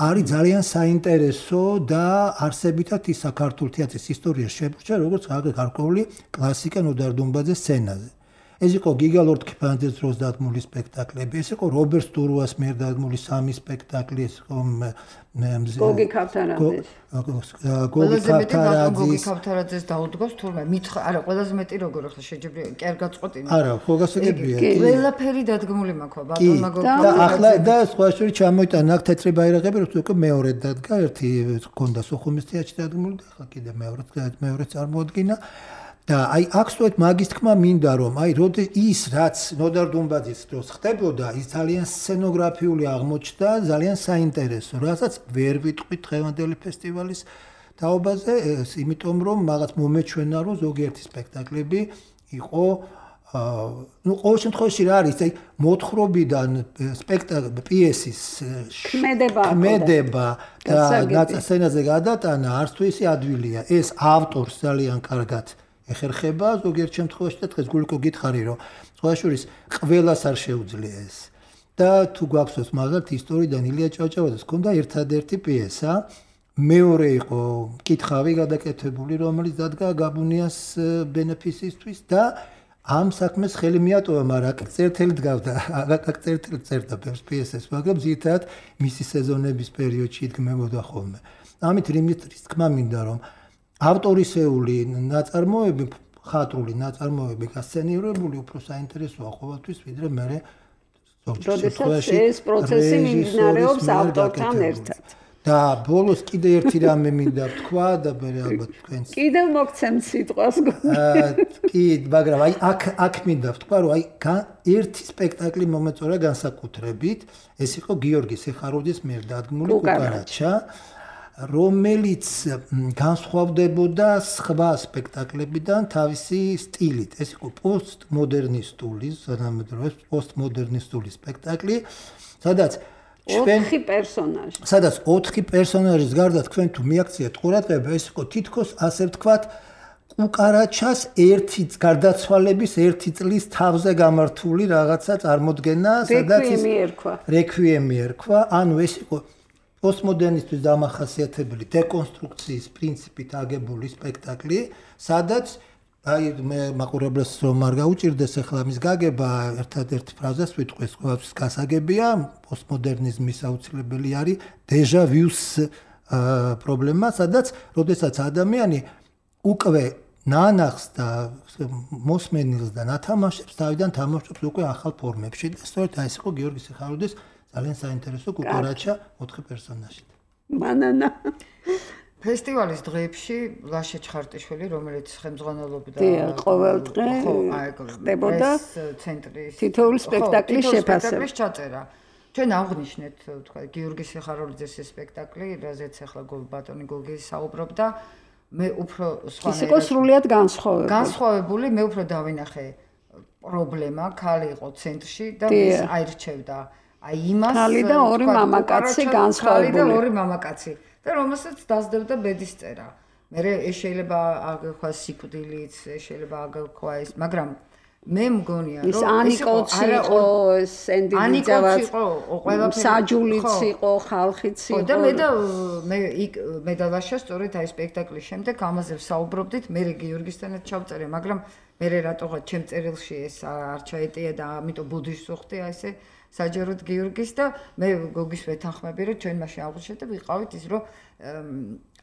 არის ძალიან საინტერესო და არსებითად ის საქართველოს თეატრის ისტორიაში შებრუნდა, როგორც გარკვეული კლასიკა დოდარ დუმბაძეს სცენაზე. ეს იყო გიგა ლორთქიფანიძის დროს დადგმული სპექტაკლები, ეს იყო რობერტ სტურუას მიერ დადგმული სამი სპექტაკლი, ეს იყო გოგი ქავთარაძის. გოგი ქავთარაძის. გოგი ქავთარაძის დაუდგოს თურმე მითხრა, არა, ყველაზე მეტი როგორ ახლა შეჯიბრია, კი არ გაწყვეტინა. არა, ხო გასაგებია. ყველაფერი დადგმული მაქვს, ბატონმა გოგი და ახლა და სხვა შორის ჩამოიტანა აქ თეთრი ბაირაღები, რომ უკვე მეორე დადგა, ერთი ჰქონდა სოხუმის თეატრში დადგმული და ახლა კიდე მეორე მეორე წარმოადგინა. და აი აქ სწორედ მაგის თქმა მინდა რომ აი როდი ის რაც ნოდარ დუმბაძის დროს ხდებოდა ის ძალიან სცენოგრაფიული აღმოჩნდა ძალიან საინტერესო რასაც ვერ ვიტყვით დღევანდელი ფესტივალის თაობაზე იმიტომ რომ მაგაც მომეჩვენა რომ ზოგიერთი სპექტაკლები იყო ну ყოველ შემთხვევაში რა არის აი მოთხრობიდან სპექტაკლ პიესის ქმედება და სცენაზე გადატანა არც თუ ისი ადვილია ეს ავტორს ძალიან კარგად ეხერხება ზოგიერთ შემთხვევაში და დღეს გულიკო გითხარი რომ სხვა შორის ყველას არ შეუძლია ეს და თუ გვაქვს მაგალითად ისტორიიდან ილია ჭავჭავაძეს ჰქონდა ერთადერთი პიესა მეორე იყო კითხავი გადაკეთებული რომელიც დადგა გაბუნიას ბენეფისისთვის და ამ საქმეს ხელი მიატოვა მაგრამ აქ წერტელი დგავდა აქ წერტელი წერდა ბევრ პიესებს მაგრამ ზირთად მისი სეზონების პერიოდში იდგმებოდა ხოლმე ამით რიმიტრის თქმა მინდა რომ ავტორისეული ნაწარმოები, ხატრული ნაწარმოები გასცენირებული უფრო საინტერესოა ყოველთვის, ვიდრე მე როდესაც ეს პროცესი მიმდინარეობს ავტორთან ერთად. და ბოლოს კიდე ერთი რამე მინდა ვთქვა და მე ალბათ თქვენს. კიდევ მოგცემთ სიტყვას. კი, მაგრამ აი აქ აქ მინდა ვთქვა, რომ აი ერთი სპექტაკლი მომეწორა განსაკუთრებით, ეს იყო გიორგი სიხაროძის მიერ დადგმული კუკარაჩა. რომელიც განსხვავდებოდა სხვა სპექტაკლებიდან თავისი სტილით. ეს იყო პოსტმოდერნისტული, თანამედროვე პოსტმოდერნისტული სპექტაკლი, სადაც ოთხი პერსონაჟი. სადაც ოთხი პერსონაჟის გარდა თქვენ თუ მიაქციეთ ყურადღება, ეს იყო თითქოს ასე ვთქვათ, კუკარაჩას ერთი გარდაცვალების ერთი წლის თავზე გამართული რაღაცა წარმოდგენა, სადაც ის რეკვიემი რეკვიემი ერქვა, ანუ ეს იყო პოსტმოდერნისტვის დამახასიათებელი დეკონსტრუქციის პრინციპით აგებული სპექტაკლი, სადაც აი მე მაყურებელს რომ არ გაუჭირდეს ახლა მის გაგება ერთადერთი ფრაზას ვიტყვეს, ყოველთვის გასაგებია, პოსტმოდერნიზმის აუცილებელი არის დეჟა ვიუს პრობლემა, სადაც როდესაც ადამიანი უკვე ნანახს და მოსმენილს და ნათამაშებს თავიდან თამაშობს უკვე ახალ ფორმებში და სწორედ აი ეს იყო გიორგი სიხაროძის ძალიან საინტერესო კუკარაჩა ოთხი პერსონაჟით. ბანანა. ფესტივალის დღეებში ლაშა ჩხარტიშვილი, რომელიც ხელმძღვანელობდა ყოველ დღე ხდებოდა ცენტრის თითოეული სპექტაკლის შეფასება. ჩაწერა. ჩვენ აღნიშნეთ, თქვა, გიორგი სიხაროძის სპექტაკლი, რაზეც ახლა ბატონი გოგი საუბრობდა, მე უფრო სხვა ის იყო სრულიად განსხვავებული. განსხვავებული, მე უფრო დავინახე პრობლემა, ქალი იყო ცენტრში და ის აირჩევდა აი იმას ქალი და ორი მამაკაცი განსხვავებული. ქალი და ორი მამაკაცი და რომელსაც დასდებდა ბედის წერა. მე ეს შეიძლება აგქვა სიკვდილიც, შეიძლება აგქვა ეს, მაგრამ მე მგონია რომ ის ანიკოც იყო, სენდინიძავაც იყო, ყველაფერი საჯულიც იყო, ხალხიც იყო. და მე და მე იქ მე და ლაშა სწორედ აი სპექტაკლის შემდეგ ამაზე ვსაუბრობდით, მე გიორგისთანაც ჩავწერე, მაგრამ მე რატოღაც ჩემ წერილში ეს არ ჩაეტია და ამიტომ ბუდიშს ვხვდი აი ესე საჯაროდ გიორგის და მე გოგის ვეთანხმები რომ ჩვენ მაშინ აღვნიშნეთ და ვიყავით ის რომ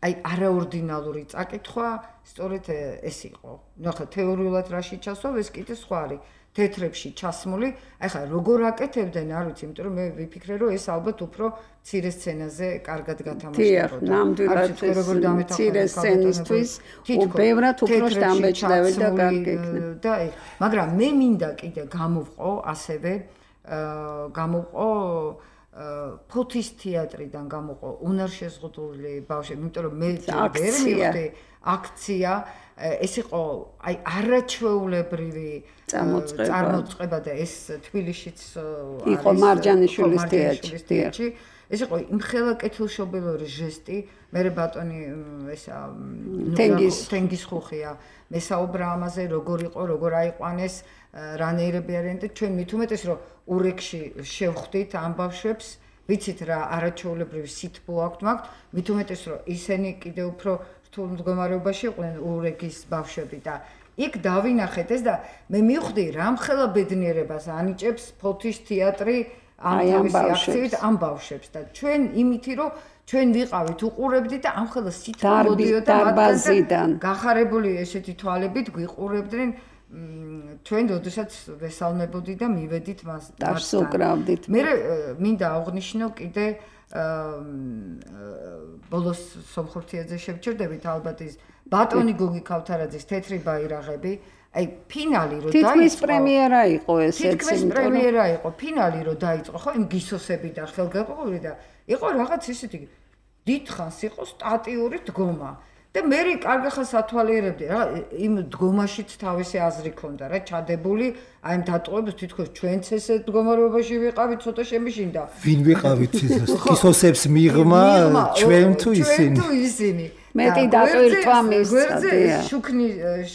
აი არაორდინალური წაკითხვა სწორედ ეს იყო. ნუ ახლა თეორიულად რაში ჩასვავ, ეს კიდე სხვა არის. თეთრებში ჩასმული, აი ხა როგორ აკეთებდნენ, არ ვიცი, იმიტომ რომ მე ვიფიქრე, რომ ეს ალბათ უფრო მცირე სცენაზე კარგად გათამაშდებოდა. დიახ, ნამდვილად მცირე სცენისთვის ბევრად უფრო შთამბეჭდავი და კარგი იქნება. და მაგრამ მე მინდა კიდე გამოვყო ასევე გამოვყო ფოთის თეატრიდან გამოვყო უნარშეზღუდული ბავშვები, იმიტომ რომ მე ვერ მივხვდი აქცია ეს იყო აი არაჩვეულებრივი წარმოწყება და ეს თბილისშიც იყო მარჯანიშვილის თეატრში. ეს იყო იმხელა კეთილშობილური ჟესტი, მე ბატონი ესა თენგის ხუხია, მე საუბრა ამაზე როგორ იყო, როგორ აიყვანეს, რანაირები არიან და ჩვენ მით უმეტეს რომ ურეკში შევხვდით ამ ბავშვებს, ვიცით რა არაჩვეულებრივი სითბო აქვთ მაგთ, მით უმეტეს რომ ისინი კიდე უფრო რთულ მდგომარეობაში იყვნენ ურეკის ბავშვები და იქ დავინახეთ ეს და მე მივხვდი რამხელა ბედნიერებას ანიჭებს ფოთის თეატრი ამ თავისი აქციით ამ ბავშვებს და ჩვენ იმითი რომ ჩვენ ვიყავით უყურებდით და ამხელა სითბო მოდიოდა დარბაზიდან გახარებული ესეთი თვალებით გვიყურებდნენ ჩვენ როდესაც ვესალმებოდი და მივედით მას დარს უკრავდით. მე მინდა აღვნიშნო კიდე ბოლოს სომხურთიაძე შევჩერდებით ალბათ ის ბატონი გოგი ქავთარაძის თეთრი ბაირაღები, აი ფინალი რო დაიწყო. თითქმის პრემიერა იყო ეს ეცი. თითქმის პრემიერა იყო, ფინალი რო დაიწყო, ხო, იმ გისოსები და ხელგაყრილი და იყო რაღაც ისეთი დიდხანს იყო სტატიური დგომა. და მე კარგახანს ათვალიერებდი რა იმ დგომაშიც თავისი აზრი ქონდა რა ჩადებული აი ამ დატოვებს თითქოს ჩვენც ესე მდგომარეობაში ვიყავით ცოტა შემიშინდა ვინ ვიყავით გისოსებს მიღმა ჩვენ თუ ისინი ჩვენ თუ ისინი მეტი დატვირთვა მისცა შუქნი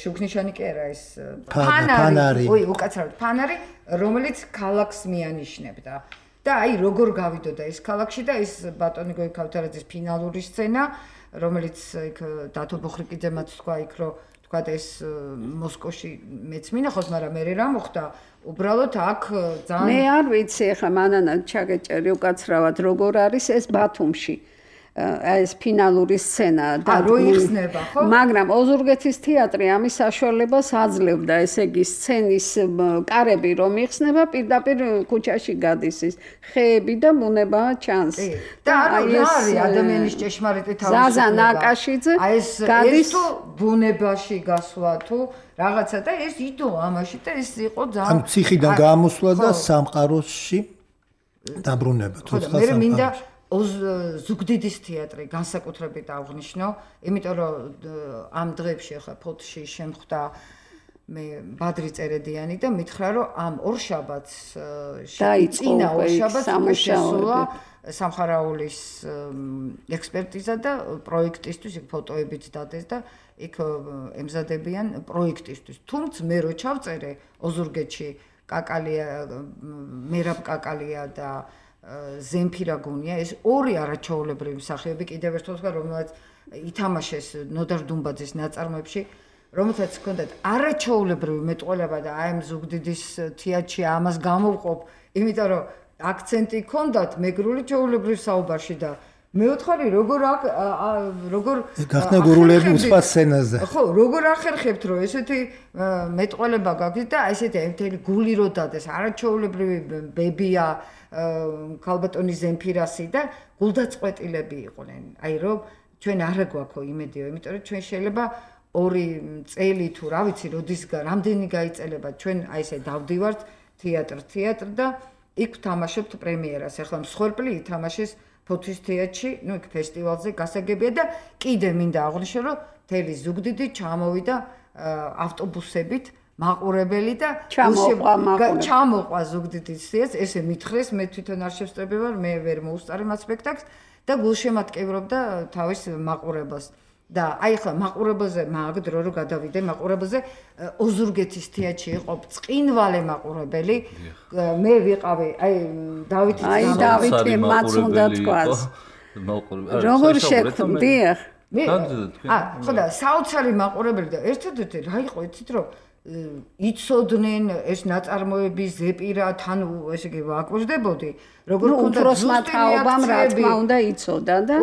შუქნიშანი კი არა ეს ფანარი ой უკაცრავად ფანარი რომელიც ქალაქს მიანიშნებდა და აი როგორ გავიდოდა ეს ქალაქში და ეს ბატონი გოგი ქავთარაძის ფინალური სცენა რომელიც იქ დათო ბოხრიკიძემაც თქვა იქ რომ თქვა ეს მოსკოვში მეც მინახავს, მაგრამ მე რა მოხდა უბრალოდ აქ ძალიან მე არ ვიცი ახლა მანანა ჩაგეჭერი უკაცრავად როგორ არის ეს ბათუმში ეს ფინალური სცენა და რო იხსნება ხო? მაგრამ ოზურგეთის თეატრი ამის საშუალებას აძლევდა, ესე იგი სცენის კარები რომ იხსნება პირდაპირ ქუჩაში გადის ის ხეები და ბუნება ჩანს. და არა არის ადამიანის ჭეშმარიტი თავისუფლება. ზაზა ნაკაშიძე გადის თუ ბუნებაში გასვლა თუ რაღაცა და ეს იდო ამაში და ეს იყო ძალიან ამ ციხიდან გამოსვლა და სამყაროში დაბრუნება თუ ხალხს. მე მინდა ზუგდიდის თეატრი განსაკუთრებით აღვნიშნო, იმიტომ რომ ამ დღეებში ახლა ფოთში შემხვდა მე ბადრი წერედიანი და მითხრა რომ ამ ორშაბათს წინა ორშაბათს შესულა სამხარაულის ექსპერტიზა და პროექტისთვის იქ ფოტოებიც დადეს და იქ ემზადებიან პროექტისთვის. თუმცა მე რო ჩავწერე ოზურგეთში კაკალია მერაბ კაკალია და ზემფირა გუნია ეს ორი არაჩვეულებრივი მსახიობი კიდევ ერთხელ ვთქვა რომელსაც ითამაშეს ნოდარ დუმბაძის ნაწარმოებში რომელსაც ჰქონდათ არაჩვეულებრივი მეტყველება და აი ამ ზუგდიდის თეატრში ამას გამოვყოფ იმიტომ რომ აქცენტი ჰქონდათ მეგრული ჩვეულებრივ საუბარში და მე ვთქვი როგორ როგორ გახსნა გურულები უცხო სცენაზე ხო როგორ ახერხებთ რომ ესეთი მეტყველება გაგვით და ესეთი ერთელი გული რო დადეს არაჩვეულებრივი ბებია ქალბატონი ზემფირასი და გულდაწყვეტილები იყვნენ. აი რომ ჩვენ არ გვაქვს იმედიო, იმიტომ რომ ჩვენ შეიძლება ორი წელი თუ რა ვიცი, როდის რამდენი გაიწელება ჩვენ აი ესე დავდივართ თეატრ თეატრ და იქ ვთამაშობთ პრემიერას. ახლა მსხვერპლი ითამაშეს ფოთის თეატრში, ну იქ ფესტივალზე გასაგებია და კიდე მინდა აღვნიშნო რომ თელი ზუგდიდი ჩამოვიდა ავტობუსებით მაყურებელი და ჩამოყვა ზუგდიდის თეატრს, ესე მითხრეს, მე თვითონ არ შევსწრები ვარ, მე ვერ მოუსწარი მათ სპექტაკლს და გულშემატკივრობდა თავის მაყურებელს. და აი ახლა მაყურებელზე მაგ დრო რო გადავიდე მაყურებელზე ოზურგეთის თეატრში იყო წყინვალე მაყურებელი მე ვიყავი აი დავითი აი დავითი მას უნდა თქვას როგორ შექმნდია მე აა ხო და საოცარი მაყურებელი და ერთადერთი რა იყო იცით რომ იცოდნენ ეს ნაწარმოები ზეპირა თან ესე იგი ვაკვირდებოდი როგორ უნდა უფროსმა თაობამ რა თქმა უნდა იცოდა და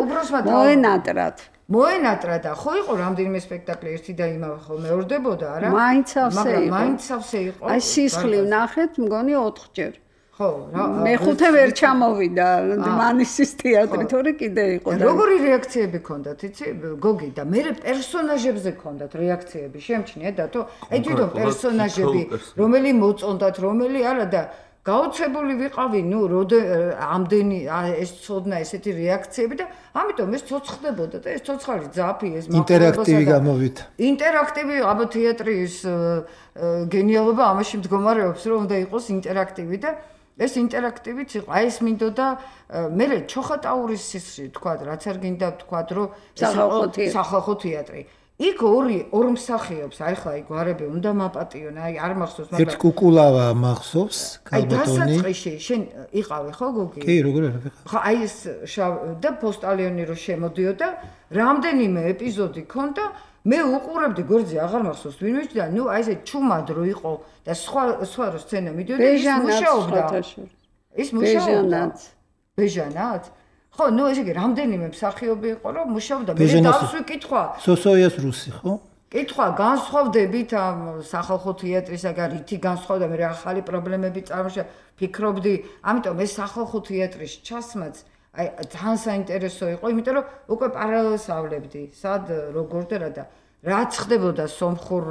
მოენატრათ მოენატრა და ხო იყო რამდენიმე სპექტაკლი ერთი და იმავე ხო მეორდებოდა არა მაინც ავსე იყო მაინც ავსე იყო აი სისხლი ნახეთ მგონი ოთხჯერ ხო რა მეხუთე ვერ ჩამოვიდა მანისის თეატრი თორე კიდე იყო და როგორი რეაქციები ქონდათ იცი გოგი და მე პერსონაჟებზე ქონდათ რეაქციები შემჩნია დათო აი თვითონ პერსონაჟები რომელი მოწონდათ რომელი არა და გაოცებული ვიყავი, ნუ როდე ამდენი ეს ცოდნა ესეთი რეაქციები და ამიტომ ეს ცოცხდებოდა და ეს ცოცხალი ძაფი ეს ინტერაქტივი გამოვით. ინტერაქტივი აბა თეატრის გენიალობა ამაში მდგომარეობს, რომ უნდა იყოს ინტერაქტივი და ეს ინტერაქტივიც იყო. აი ეს მინდოდა მე ჩოხატაურის სისხლი თქვა, რაც არ გინდა თქვა, რომ სახალხო თეატრი. იქ ორი ორ მსახიობს, აი ხა იქ ვარები უნდა მაპატიონ, აი არ მახსოვს, მაგრამ ერთ კუკულავა მახსოვს, კალბატონი. აი დასაწყისში შენ იყავი ხო გოგი? კი, როგორ არ ვიყავ. ხო, აი ეს და პოსტალიონი რო შემოდიოდა, რამდენიმე ეპიზოდი ქონდა, მე უყურებდი გვერდზე აღარ მახსოვს ვინმე და ნუ აი ესე ჩუმად რო იყო და სხვა სხვა რო სცენა მიდიოდა, ის მუშაობდა. ის მუშაობდა. ბეჟანაც? ხო, ნუ ესე იგი რამდენიმე მსახიობი იყო, რომ მუშაობდა. მე დავსვი კითხვა. სოსოიას რუსი, ხო? კითხვა, განსხვავდებით ამ სახალხო თეატრისაგან, რითი განსხვავდა, მე ახალი პრობლემები წარმოშა, ფიქრობდი, ამიტომ ეს სახალხო თეატრის ჩასმაც აი ძალიან საინტერესო იყო, იმიტომ რომ უკვე პარალელს ავლებდი, სად როგორ და რა და რაც ხდებოდა სომხურ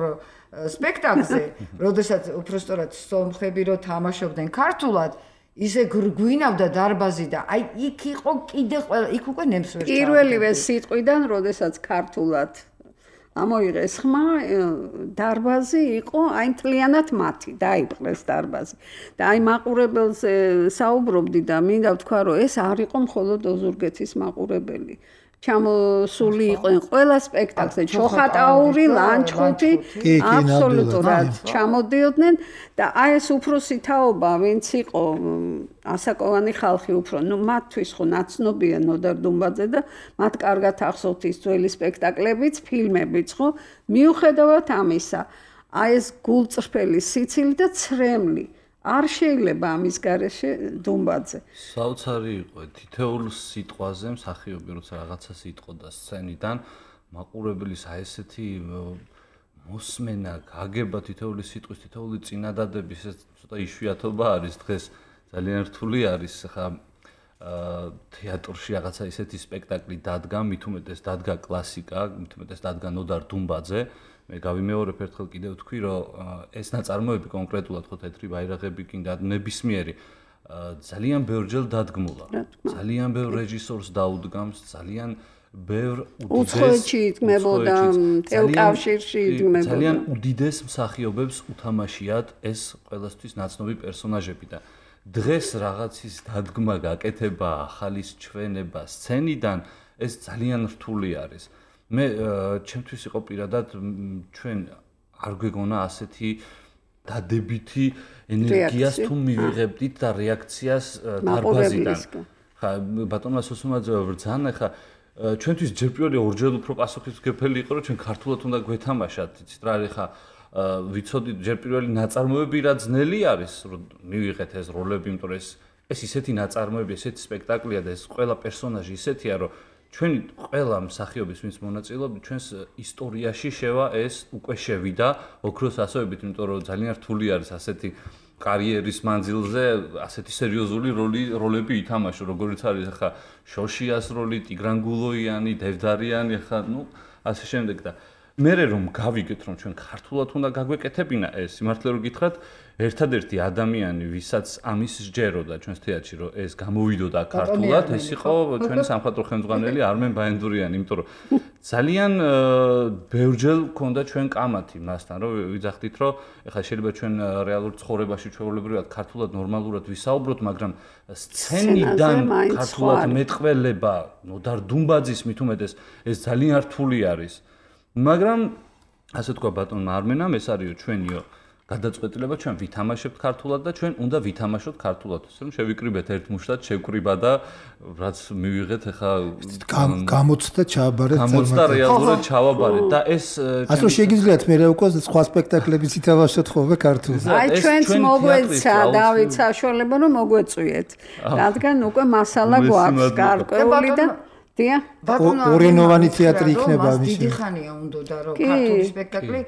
სპექტაკლზე, როდესაც უბრალოდ სომხები რო თამაშობდნენ ქართულად ისე გვინავდა დარბაზი და აი იქ იყო კიდე ყველა იქ უკვე ნემს ვერ ჩავდა. პირველივე სიტყვიდან, როდესაც ქართულად ამოიღეს ხმა, დარბაზი იყო აი მთლიანად მათი, დაიპყრეს დარბაზი. და აი მაყურებელზე საუბრობდი და მინდა ვთქვა, რომ ეს არ იყო მხოლოდ ოზურგეთის მაყურებელი. ჩამოსული იყვნენ ყველა სპექტაკლზე, ჩოხატაური, ლანჩხუთი, აბსოლუტურად ჩამოდიოდნენ და აი ეს უფროსი თაობა, ვინც იყო ასაკოვანი ხალხი უფრო, ნუ მათთვის ხო ნაცნობია ნოდარ დუმბაძე და მათ კარგად ახსოვთ ის ძველი სპექტაკლებიც, ფილმებიც ხო, მიუხედავად ამისა, აი ეს გულწრფელი სიცილი და ცრემლი არ შეიძლება ამის გარეშე დუმბაძე. საოცარი იყო თითოეულ სიტყვაზე მსახიობი როცა რაღაცა სიტყოდა სცენიდან მაყურებლის აი ესეთი მოსმენა, გაგება თითოეული სიტყვის, თითოეული წინადადების ეს ცოტა იშვიათობა არის დღეს ძალიან რთული არის ხა თეატრში რაღაცა ისეთი სპექტაკლი დადგა, მით უმეტეს დადგა კლასიკა, მით უმეტეს დადგა ნოდარ დუმბაძე. მე გავიმეორებ ერთხელ კიდევ ვთქვი, რომ ეს ნაწარმოები კონკრეტულად ხო თეთრი ბაირაღები კიდე ნებისმიერი ძალიან ბევრჯერ დადგმულა. ძალიან ბევრ რეჟისორს დაუდგამს, ძალიან ბევრ უცხოეთში იდგმებოდა, ტელკავშირში იდგმებოდა. ძალიან უდიდეს მსახიობებს უთამაშიათ ეს ყველასთვის ნაცნობი პერსონაჟები და დღეს რაღაცის დადგმა, გაკეთება, ახალის ჩვენება სცენიდან ეს ძალიან რთული არის. მე ჩემთვის იყო პირადად ჩვენ არ გვეგონა ასეთი დადებითი ენერგიას თუ მივიღებდით და რეაქციას დარბაზიდან. ხა ბატონმა სოსუმაძე ბრძანა ხა ჩვენთვის ჯერ პირველი ორჯერ უფრო პასუხისმგებელი იყო რომ ჩვენ ქართულად უნდა გვეთამაშათ, იცით რა არის ხა ვიცოდით ჯერ პირველი ნაწარმოები რა ძნელი არის რომ მივიღეთ ეს როლები, იმიტომ რომ ეს ეს ისეთი ნაწარმოები, ესეთი სპექტაკლია და ეს ყველა პერსონაჟი ისეთია რომ ჩვენი ყველა მსახიობის ვინც მონაწილეობდა ჩვენს ისტორიაში შევა ეს უკვე შევიდა ოქროს ასოებით, იმიტომ რომ ძალიან რთული არის ასეთი კარიერის მანძილზე ასეთი სერიოზული როლი როლები ითამაშო, როგორიც არის ახლა შოშიას როლი, ტიგრან გულოიანი, დევდარიანი, ახლა ნუ ასე შემდეგ და მე რომ გავიგეთ რომ ჩვენ ქართულად უნდა გაგვეკეთებინა ეს, სიმართლე რომ გითხრათ, ერთადერთი ადამიანი, ვისაც ამის სჯეროდა ჩვენს თეატრში, რომ ეს გამოვიდოდა ქართულად, ეს იყო ჩვენი სამხატვრო ხელმძღვანელი არმენ ბაენდურიანი, იმიტომ რომ ძალიან ბევრჯერ ქონდა ჩვენ კამათი მასთან, რომ ვიძახდით, რომ ეხლა შეიძლება ჩვენ რეალურ ცხოვრებაში ჩვეულებრივად ქართულად ნორმალურად ვისაუბროთ, მაგრამ სცენიდან ქართულად მეტყველება, ნოდარ დუმბაძის მით უმეტეს ეს ძალიან რთული არის. მაგრამ ასე თქვა ბატონმა არმენამ, ეს არისო ჩვენიო გადაწყვეტილება, ჩვენ ვითამაშებთ ქართულად და ჩვენ უნდა ვითამაშოთ ქართულად. ისე რომ შევიკრიბეთ ერთ მუშტად, შევკრიბა და რაც მივიღეთ ახლა გამოცდა ჩააბარეთ, გამოცდა რეალურად ჩავაბარეთ და ეს ასე რომ შეგიძლიათ მე რა უკვე სხვა სპექტაკლებიც ითამაშოთ ხოლმე ქართულად. აი ჩვენც მოგვეცა დავით საშუალება რომ მოგვეწვიეთ, რადგან უკვე მასალა გვაქვს გარკვეული და დია ორენოვანი თეატრი იქნება მის დიდი ხანია უნდოდა რომ ქართული სპექტაკლი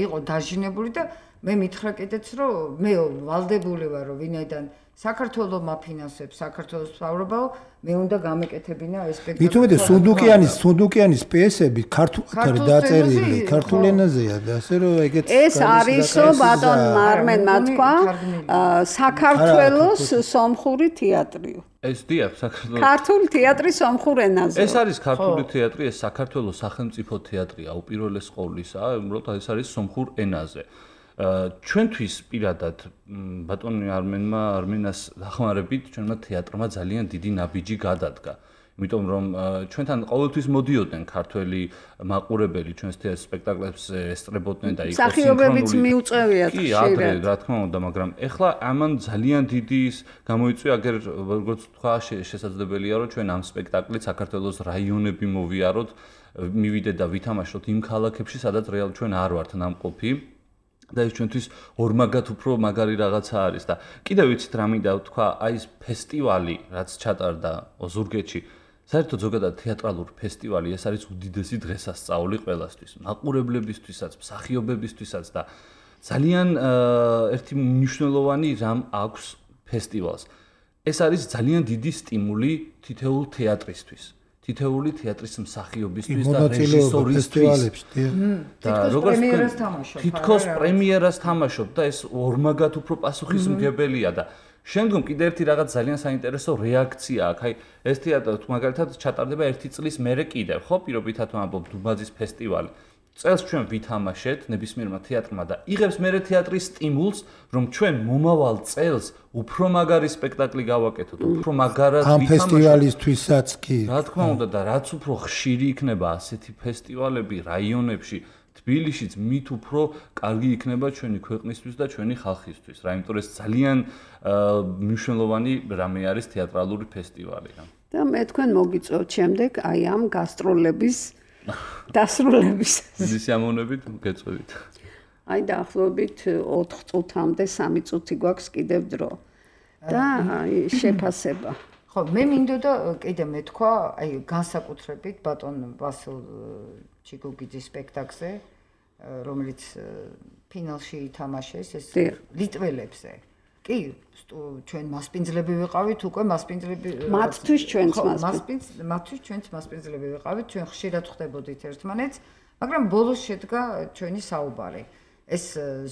იყო დაჟინებული და მე მითხრა კიდეც რომ მე ვალდებული ვარ რომ ვინაიდან საქართველოს მაფინანსებს საქართველოს მთავრობაო მე უნდა გამეკეთებინა ეს სპექტაკლი. მით უმეტეს სუნდუკიანის სუნდუკიანის პიესები ქართულად დაწერილი ქართულ ენაზეა და ასე რომ ეგეც ეს არისო ბატონ მარმენმა თქვა საქართველოს სომხური თეატრიო. ეს დიახ საქართველოს ქართული თეატრი სომხურ ენაზე. ეს არის ქართული თეატრი, ეს საქართველოს სახელმწიფო თეატრია, უპირველეს ყოვლისა, უბრალოდ ეს არის სომხურ ენაზე. ჩვენთვის პირადად ბატონი არმენმა არმენას დახმარებით ჩვენმა თეატრმა ძალიან დიდი ნაბიჯი გადადგა. იმიტომ რომ ჩვენთან ყოველთვის მოდიოდნენ ქართველი მაყურებელი ჩვენს სპექტაკლებს ესწრებოდნენ და იყო მსახიობებიც მიუწევიათ ხშირად. კი, ადრე რა თქმა უნდა, მაგრამ ეხლა ამან ძალიან დიდი ის გამოიწვია, აგერ როგორც თქვა, შესაძლებელია რომ ჩვენ ამ სპექტაკლით საქართველოს რაიონები მოვიაროთ, მივიდეთ და ვითამაშოთ იმ ქალაქებში, სადაც რეალურად ჩვენ არ ვართ ნამყოფი. და ეს ჩვენთვის ორმაგად უფრო მაგარი რაღაცა არის და კიდევ ვიცით რა მინდა ვთქვა, აი ეს ფესტივალი, რაც ჩატარდა ოზურგეთში, საერთოდ ზოგადად თეატრალური ფესტივალი, ეს არის უდიდესი დღესასწაული ყველასთვის, მაყურებლებისთვისაც, მსახიობებისთვისაც და ძალიან ერთი მნიშვნელოვანი რამ აქვს ფესტივალს. ეს არის ძალიან დიდი სტიმული თითოეულ თეატრისთვის. თითოეული თეატრის მსახიობისთვის და რეჟისორისთვის და როგორც პრემიერას თამაშობ. თითქოს პრემიერას თამაშობ და ეს ორმაგად უფრო პასუხისმგებელია და შემდგომ კიდე ერთი რაღაც ძალიან საინტერესო რეაქცია აქვს. აი ეს თეატრი მაგალითად ჩატარდება ერთი წლის მერე კიდევ, ხო, პირობითად ვამბობ დუბაძის ფესტივალი. წელს ჩვენ ვითამაშეთ ნებისმიერმა თეატრმა და იღებს მერე თეატრის სტიმულს, რომ ჩვენ მომავალ წელს უფრო მაგარი სპექტაკლი გავაკეთოთ, უფრო მაგარად ამ ფესტივალისთვისაც კი. რა თქმა უნდა და რაც უფრო ხშირი იქნება ასეთი ფესტივალები რაიონებში, თბილისშიც მით უფრო კარგი იქნება ჩვენი ქვეყნისთვის და ჩვენი ხალხისთვის. რა, იმიტომ ეს ძალიან მნიშვნელოვანი რამე არის თეატრალური ფესტივალი. და მე თქვენ მოგიწევთ შემდეგ აი ამ გასტროლების დასრულების სიამოვნებით გეწევით. აი დაახლოებით ოთხ წუთამდე სამი წუთი გვაქვს კიდევ დრო. და აი შეფასება. ხო, მე მინდოდა კიდე მეთქვა, აი განსაკუთრებით ბატონ ვასილ ჩიგუგიძის სპექტაკლზე, რომელიც ფინალში ითამაშეს ეს ლიტველებზე. კი, ჩვენ მასპინძლები ვიყავით, უკვე მასპინძლები მათთვის ჩვენც მასპინძ მათთვის ჩვენც მასპინძლები ვიყავით, ჩვენ ხშირად ხვდებოდით ერთმანეთს, მაგრამ ბოლოს შედგა ჩვენი საუბარი. ეს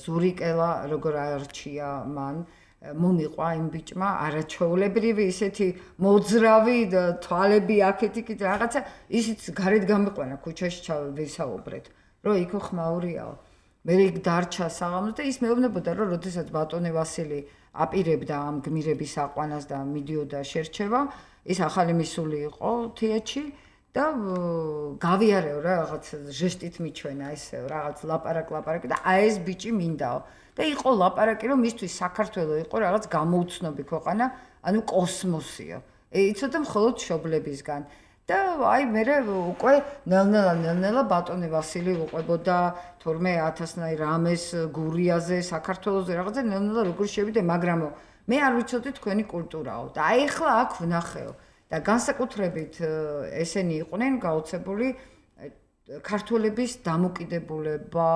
ზურიკელა როგორ არჩია მან მომიყვა იმ ბიჭმა არაჩვეულებრივი ისეთი მოძრავი თვალები აქეთ იქით რაღაცა ისიც გარეთ გამიყვანა ქუჩაში ჩავისაუბრეთ, რომ იქო ხმაურიაო. მე იქ დარჩა საღამოს და ის მეუბნებოდა რომ როდესაც ბატონი ვასილი აპირებდა ამ გმირების აყვანას და მიდიოდა შერჩევა, ის ახალი მისული იყო თეატრში და გავიარეო რა რაღაც ჟესტით მიჩვენა ესე რაღაც ლაპარაკ-ლაპარაკი და აი ეს ბიჭი მინდაო და იყო ლაპარაკი რომ მისთვის საქართველო იყო რაღაც გამოუცნობი ქვეყანა, ანუ კოსმოსიო. იცოდა მხოლოდ მშობლებისგან. და აი მე უკვე ნელ-ნელა ნელ-ნელა ბატონი ვასილი უყვებოდა თორმეტ ათასნაირ რამეს გურიაზე საქართველოზე რაღაცა ნელ-ნელა როგორ შევიდე, მაგრამ მე არ ვიცოდი თქვენი კულტურაო და აი ახლა აქ ვნახეო და განსაკუთრებით ესენი იყვნენ გაოცებული ქართველების დამოკიდებულება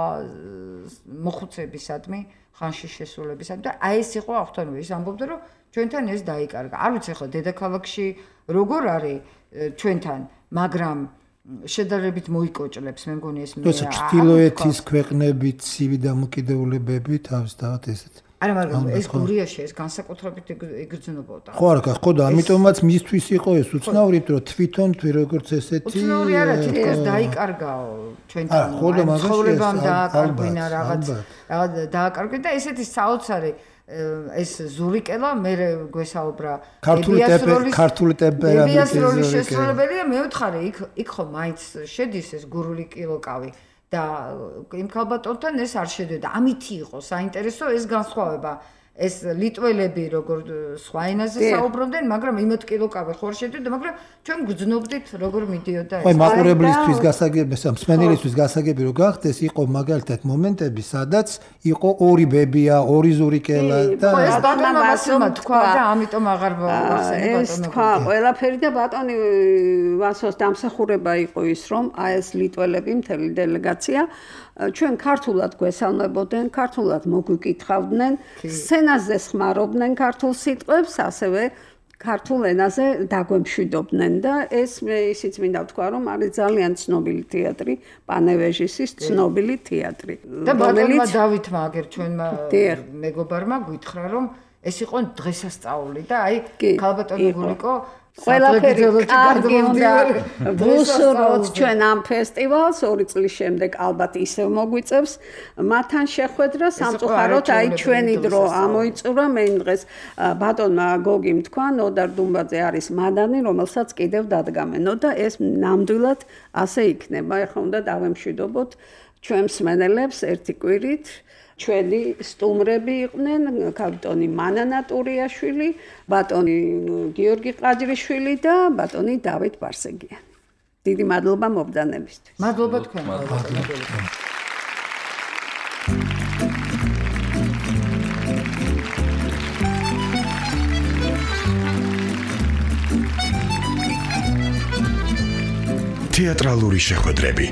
მოხუცებისადმი, ხანში შესრულებისადმი და აი ეს იყო ახთანო ის ამბობდა რომ ჩვენთან ეს დაიკარგა. არ ვიცი ახლა დედაქალაქში როგორ არის ჩვენთან, მაგრამ შედარებით მოიკოჭლებს, მე მგონი ეს მე. როცა ჩრდილოეთის ქვეყნებით ცივი დამოკიდებულებები თავისთავად ესეთ. არა, მაგრამ ეს გურიაში ეს განსაკუთრებით იგრძნობოდა. ხო, არა, ხო და ამიტომაც მისთვის იყო ეს უცნაური, რომ თვითონ თუ როგორც ესეთი უცნაური არა, თითქოს დაიკარგაო ჩვენთან. ცხოვრებამ დააკარგვინა რაღაც, რაღაც დააკარგვინა და ესეთი საოცარი ეს ზურიკელა მე გვესაუბრა ქართული ტემპერამენტის შესრულებელი და მე ვთხარი იქ იქ ხო მაინც შედის ეს გურული კილოკავი და იმ ქალბატონთან ეს არ შედიოდა. ამითი იყო საინტერესო ეს განსხვავება. ეს ლიტველები როგორ სხვა ენაზე საუბრობდნენ, მაგრამ იმოთ კილოკავე ხوار შედიოდა, მაგრამ ჩვენ გძნობდით როგორ მიდიოდა ეს. აი, მაყურებლისთვის გასაგები, მსმენელისთვის გასაგები რო გახდეს, იყო მაგალითად მომენტები, სადაც იყო ორი ბებია, ორი ზურიკელა და ეს ბატონმა ვასილმა თქვა და ამიტომ აღარ ვახსენე ეს თქვა ყველაფერი და ბატონი ვასოს დამსახურება იყო ის, რომ აი ეს ლიტველები მთელი დელეგაცია ჩვენ ქართულად გვესალმებოდნენ, ქართულად მოგვიკითხავდნენ, სცენაზე ხმარობდნენ ქართულ სიტყვებს, ასევე ქართულ ენაზე დაგვემშვიდობდნენ და ეს მე ისიც მინდა ვთქვა, რომ არის ძალიან ცნობილი თეატრი, პანევეჟისის ცნობილი თეატრი. და ბატონმა დავითმა აგერ ჩვენმა მეგობარმა გითხრა, რომ ეს იყო დღესასწაული და აი ქალბატონი გულიკო ყველაფერი კარგი უნდა ვუსურვოთ ჩვენ ამ ფესტივალს ორი წლის შემდეგ ალბათ ისევ მოგვიწევს მათთან შეხვედრა სამწუხაროდ აი ჩვენი დრო ამოიწურა მე იმ დღეს ბატონმა გოგიმ თქვა ნოდარ დუმბაძე არის მადანი რომელსაც კიდევ დადგამენო და ეს ნამდვილად ასე იქნება ეხლა უნდა დავემშვიდობოთ ჩვენ მსმენელებს ერთი კვირით ჩვენი სტუმრები იყვნენ კაპიტანი მანანა ტურიაშვილი, ბატონი გიორგი ყაჯრიშვილი და ბატონი დავით ბარსეგიანი. დიდი მადლობა მობრძანებისთვის. მადლობა თქვენ. თეატრალური შეხვედრები